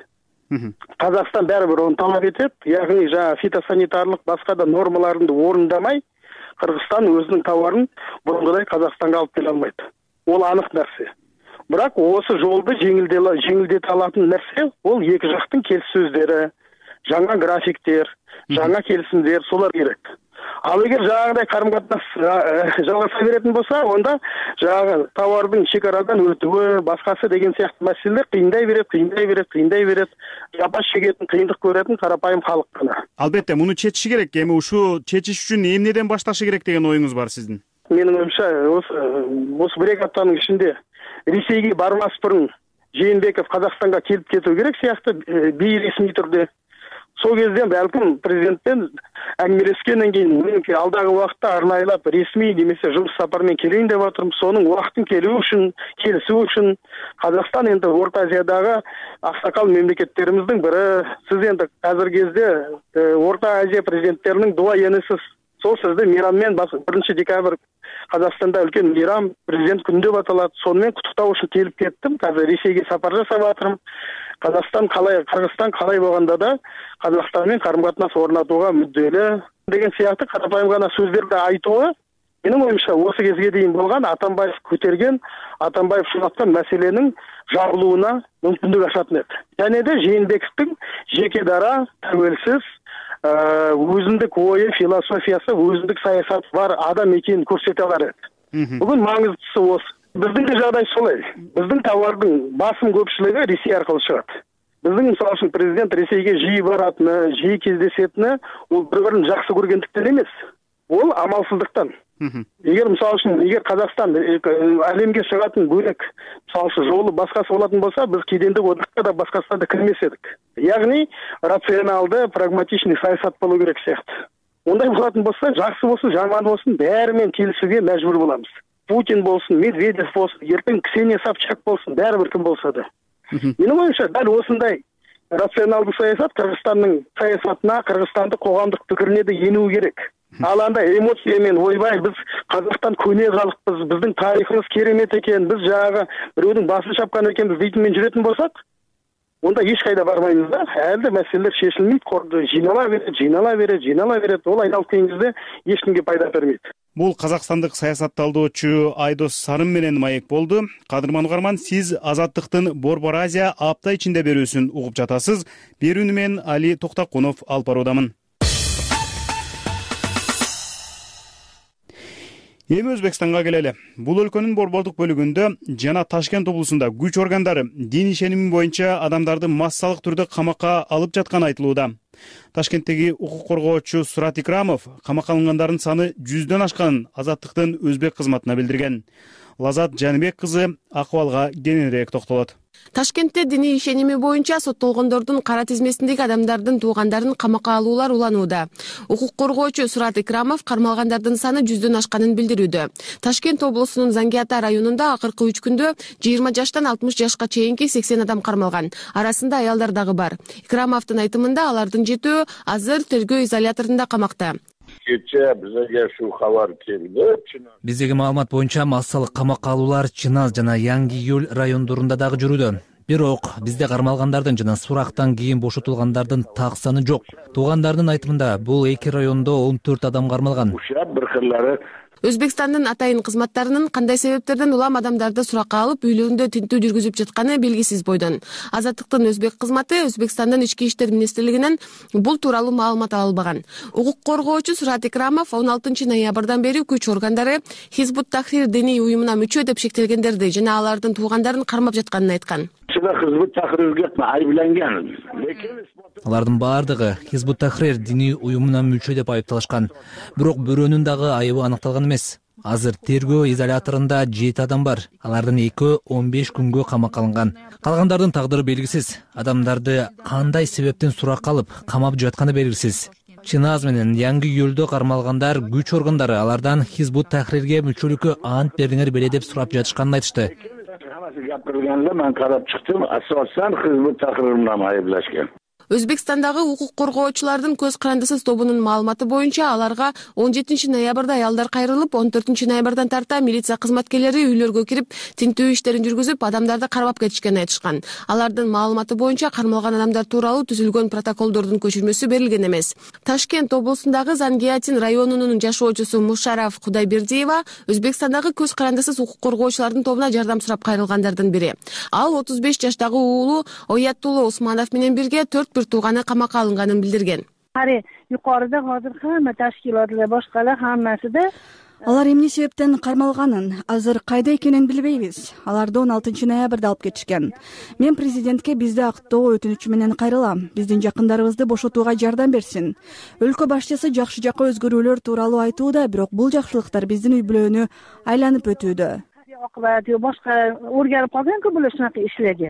Казакстан баары бир оны талап этет, ягни жаңа фитосанитарлык башка да нормаларды орундамай, Кыргызстан өзүнүн товарын бурункудай Казакстанга алып келе албайт. Ол анык нерсе. Бирок осы жолду жеңилдете алатын нерсе ол эки жактын келиссөздөрү, жаңа графиктер, жаңа келисимдер, солар керек. Ал эгер жаңагыдай карым-катнаш жалгаса беретін болса, онда жаңағы товардың шекарадан өтуі, басқасы деген сияқты мәселелер кыйындай берет, кыйындай берет, кыйындай берет. Жапа шегетін, кыйындык көретін карапайым халық қана. Албетте, муну чечиш керек. Эми ушу чечиш үчүн эмнеден башташы керек деген оюңуз бар сиздин? Менин оюмча, осы бир эки аптанын ичинде Ресейге бармас бұрын Жээнбеков Казакстанга келип кетүү керек сыяктуу бейресми түрдө. Сол кезде бәлкім президентпен әңгімелескеннен кейін меніңки алдағы уақытта арнайлап ресми немесе жұмыс сапармен келейін деп отырмын. Соның уақытын келу үшін, келісу үшін Қазақстан енді Орта Азиядағы ақсақал мемлекеттеріміздің бірі. Сіз енді қазіргі кезде Орта Азия президенттерінің дуайенісіз. Сол сізді мейраммен бірінші декабрь Қазақстанда үлкен мейрам президент күнінде аталады. Сонымен құттықтау үшін келіп кеттім. Қазір Ресейге сапар жасап жатырмын. Қазақстан қалай, Қырғызстан қалай болғанда да Қазақстанмен қарым-қатынас орнатуға мүдделі деген сияқты қарапайым ғана сөздерді айтуы менің ойымша осы кезге дейін болған Атамбаев көтерген, Атамбаев шұнатқан мәселенің жабылуына мүмкіндік ашатын еді. Және де Жээнбековтың жеке дара, тәуелсіз, өзіндік ойы, философиясы, өзіндік саясаты бар адам екенін көрсете алар еді. Бүгін маңыздысы осы. Біздің де жағдай солай. Біздің товардың басым көпшілігі Ресей арқылы шығады. Біздің мысалы үшін президент Ресейге жиі баратыны, жиі кездесетіні, ол бір-бірін жақсы көргендіктен емес. Ол амалсыздықтан. Егер мысалы үшін, егер Қазақстан әлемге шығатын бөлек, мысалы үшін жолы басқасы болатын болса, біз кедендік одаққа да басқасына да кірмес едік. Яғни рационалды, прагматичный саясат болу керек сияқты. Ондай болатын болса, жақсы болсын, жаман болсын, бәрімен келісуге мәжбүр боламыз. Путин болсын, Медведев болсын, ертең Ксения Собчак болсын, бәрібір кім болса да. Менің ойымша, дәл осындай рационалды саясат Қырғызстанның саясатына, Қырғызстанды қоғамдық пікіріне де енуі керек. Ал анда эмоциямен ойбай, біз Қазақстан көне халықпыз, біздің тарихымыз керемет екен, біз жаңағы біреудің басын шапқан екенбіз дейтінмен жүретін болсақ, онда ешқайда бармаймыз да. Әлде мәселелер шешілмейді, қорды жинала береді, жинала береді, жинала береді. Ол айналып келген кезде ешкімге пайда бермейді. Бул казакстандык саясатталдоочу Айдос Сарым менен маек болду. Кадырман угарман, сиз Азаттыктын Борбор Азия апта ичинде берүүсүн угуп жатасыз. Берүүнү мен Али Токтакунов алып баруудамын. Эми Өзбекстанга келели. Бул өлкөнүн борбордук бөлүгүндө жана Ташкент облусунда күч органдары дин ишеними боюнча адамдарды массалык түрдө камакка алып жатканы айтылууда. Ташкенттеги укук коргоочу Сурат Икрамов камакка алынгандардын саны жүздөн ашканын Азаттыктын өзбек кызматына билдирген. Лазат Жаныбек кызы акыбалга кененирээк токтолот. Ташкентте диний ишеними боюнча соттолгондордун кара тизмесиндеги адамдардын туугандарын камакка алуулар уланууда. Укук коргоочу Сурат Икрамов кармалгандардын саны жүздөн ашканын билдирүүдө. Ташкент облусунун Зангиата районунда акыркы үч күндө жыйырма жаштан алтымыш жашка чейинки сексен адам кармалган. Арасында аялдар дагы бар. Икрамовдун айтымында алардын жетөө азыр тергөө изоляторунда камакта. Кече бизге ушул кабар келди. Биздеги маалымат боюнча массалык камакка алуулар Чыназ жана Яңгы Июль райондорунда дагы жүрүүдө. Бирок бизде кармалгандардын жана сурактан кийин бошотулгандардын так саны жок. Туугандардын айтымында бул эки райондо он төрт адам кармалган. Бир кырлары Өзбекстандын атайын кызматтарынын кандай себептерден улам адамдарды суракка алып үйлөрүндө тинтүү жүргүзүп жатканы белгисиз бойдон. Азаттыктын өзбек кызматы Өзбекстандын ички иштер министрлигинен бул тууралуу маалымат ала албаган. Укук коргоочу Сурат Икрамов он алтынчы ноябрдан бери күч органдары Хизбут Тахрир диний уюмуна мүчө деп шектелгендерди жана алардын туугандарын кармап жатканын айткан. Хизбут Тахрирге айыпталган. Алардын баардыгы Хизбут Тахрир диний уюмуна мүчө деп айыпталышкан. Бирок бирөөнүн дагы айыбы аныкталган эмес. Азыр тергөө изоляторунда жети адам бар. Алардын экөө он беш күнгө камакка алынган. Калгандардын тагдыры белгисиз. Адамдарды кандай себептен суракка алып камап жатканы белгисиз. Чыназ менен Яңгы Июльдө кармалгандар күч органдары алардан Хизбут Тахрирге мүчөлүккө ант бериңер беле деп сурап жатышканын айтышты. Гапырганда мен карап чыктым, асосан Хизбут Тахрир менен айыплашкан. Өзбекстандагы укук коргоочулардын көз карандысыз тобунун маалыматы боюнча аларга он жетинчи ноябрда аялдар кайрылып, он төртүнчү ноябрдан тарта милиция кызматкерлери үйлөргө кирип, тинтүү иштерин жүргүзүп, адамдарды кармап кетишкенин айтышкан. Алардын маалыматы боюнча кармалган адамдар тууралуу түзүлгөн протоколдордун көчүрмөсү берилген эмес. Ташкент облусундагы Зангиатин районунун жашоочусу Мушараф Кудайбердиева Өзбекстандагы көз карандысыз укук коргоочулардын тобуна жардам сурап кайрылгандардын бири. Ал отуз беш жаштагы уулу Оятулла Усманов менен бирге төрт тууганы камакка алынганын билдирген. Ари юкарыда азыр хамма ташкилатлар башкалар хаммасыда алар эмне себептен кармалганын азыр кайда экенин билбейбиз. Аларды он алтынчы ноябрда алып кетишкен. Мен президентке бизди актоо өтүнүчү менен кайрылам. Биздин жакындарыбызды бошотууга жардам берсин. Өлкө башчысы жакшы жакка өзгөрүүлөр тууралуу айтууда, бирок бул жакшылыктар биздин үй бүлөнү айланып өтүүдө. Акыбаты башка өргөрүп калган бул ушунака ишлерге.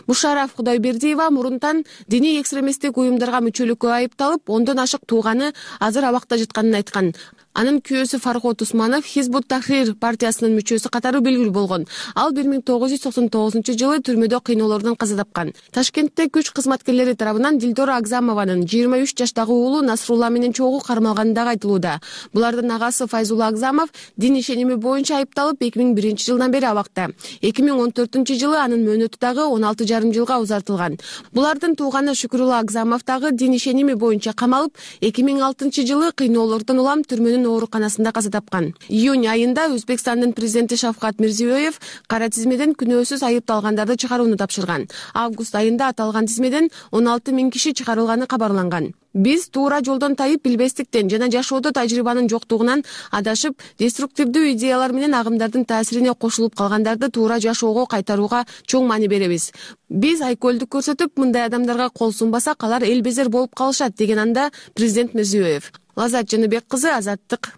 Мушараф Кудайбердиева мурунтан диний экстремисттик уюмдарга мүчөлүккө айыпталып, ондон ашык тууганы азыр абакта жатканын айткан. Анын күйөөсү Фархот Усманов Хизбут Тахрир партиясынын мүчөсү катары белгилүү болгон. Ал бир миң тогуз жүз токсон тогузунчу жылы түрмөдө кыйноолордон каза тапкан. Ташкентте күч кызматкерлери тарабынан Дилдора Агзамованын жыйырма үч жаштагы уулу Насрулла менен чогуу кармалганы дагы айтылууда. Булардын агасы Файзулла Агзамов дин ишеними боюнча айыпталып эки миң биринчи жылдан бери абакта. эки миң он төртүнчү жылы анын мөөнөтү дагы он алты жарым жылга узартылган. Булардын тууганы Шүкүрулла Агзамов дагы дин ишеними боюнча камалып, эки миң алтынчы жылы кыйноолордон улам түрмөнүн ооруканасында каза тапкан. Июнь айында Өзбекстандын президенти Шавкат Мирзиёев кара тизмеден күнөөсүз айыпталгандарды чыгарууну тапшырган. Август айында аталган тизмеден он алты миң киши чыгарылганы кабарланган. Биз туура жолдон тайып билбестиктен жана жашоодо тажрыйбанын жоктугунан адашып, деструктивдүү идеялар менен агымдардын таасирине кошулуп калгандарды туура жашоого кайтарууга чоң маани беребиз. Биз айкөлдүк көрсөтүп, мындай адамдарга кол сунбасак, алар эл безер болуп калышат, деген анда президент Мирзиёев. Лазат Жаныбек кызы, Азаттык.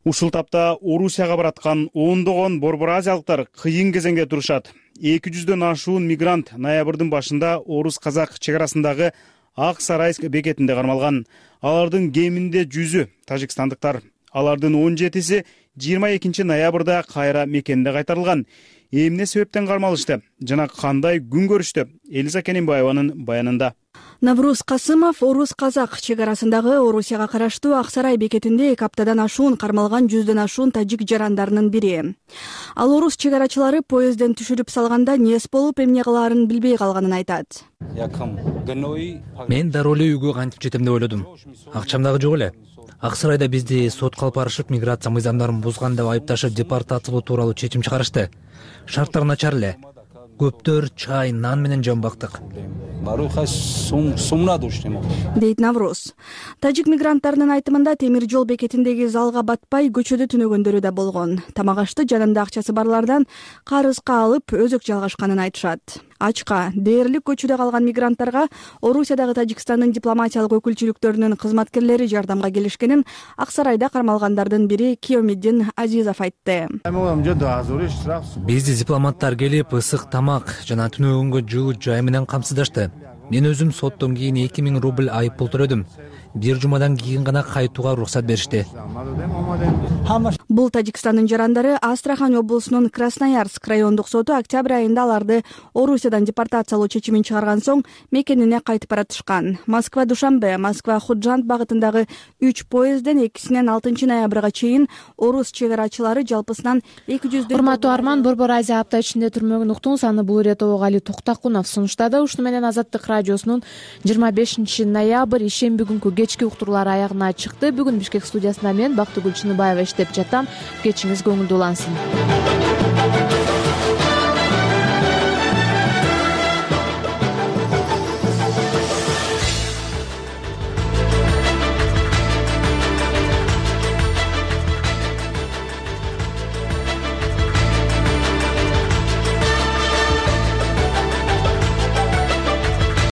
Ушул тапта Орусияга бараткан ондогон борбор азиялыктар кыйын кезеңге турушат. эки жүздөн ашуун мигрант ноябрдын башында Орус-Казак чек арасындагы Ак Сарайск бекетинде кармалган. Алардын кеминде жүзү тажикстандыктар. Алардын он жетиси жыйырма экинчи ноябрда кайра мекенине кайтарылган. Эмне себептен кармалышты жана кандай күн көрүштү? Элиза Кененбаеванын баянында. Навруз Касымов Орус-Казак чек арасындагы Орусияга караштуу Ак Сарай бекетинде эки аптадан ашуун кармалган жүздөн ашуун тажик жарандарынын бири. Ал орус чек арачылары поездден түшүрүп салганда нес болуп, эмне кылаарын билбей калганын айтат. Мен дароо эле үйгө кантип жетем деп ойлодум. Акчам дагы жок эле. Ак Сарайда бизди сотко алып барышып, миграция мыйзамдарын бузган деп айыпташып, депортациялоо тууралуу чечим чыгарышты. Шарттар начар эле. Көптөр чай, нан менен жан бактык. баруха сумна душнемо дейт Навроз. Тажик мигранттарынын айтымында темир жол бекетиндеги залга батпай көчөдө түнөгөндөрү да болгон. Тамак ашты жанында акчасы барлардан карызга алып өзөк жалгашканын айтышат. Ачка дээрлик көчөдө калган мигранттарга Орусиядагы Тажикстандын дипломатиялык өкүлчүлүктөрүнүн кызматкерлери жардамга келишкенин Ак Сарайда кармалгандардын бири Киомиддин Азизов айтты. Бизди дипломаттар келип ысык тамак жана түнөгөнгө жылуу жай менен камсыздашты. Мен өзүм соттон кийин эки миң рубль айып пул төлөдүм. Бир жумадан кийин гана кайтууга уруксат беришти. Бул Тажикстандын жарандары Астрахань облусунун Красноярск райондук соту октябрь айында аларды Орусиядан депортациялоо чечимин чыгарган соң мекенине кайтып баратышкан. Москва Душанбе, Москва Худжанд багытындагы үч поездден экисинен алтынчы ноябрга чейин орус чек арачылары жалпысынан эки жүздөн. Урматтуу Арман, Борбор Азия апта ичинде түрмөгүн уктуңуз. Аны бул иретте Али Токтакунов сунуштады. Ушуну менен Азаттык радиосунун жыйырма бешинчи ноябрь ишемби күнкү кечки уктуруулары аягына чыкты. Бүгүн Бишкек студиясында мен Бактыгүл Чыныбаева иштеп жатам. Кечиңиз көңүлдүү улансын.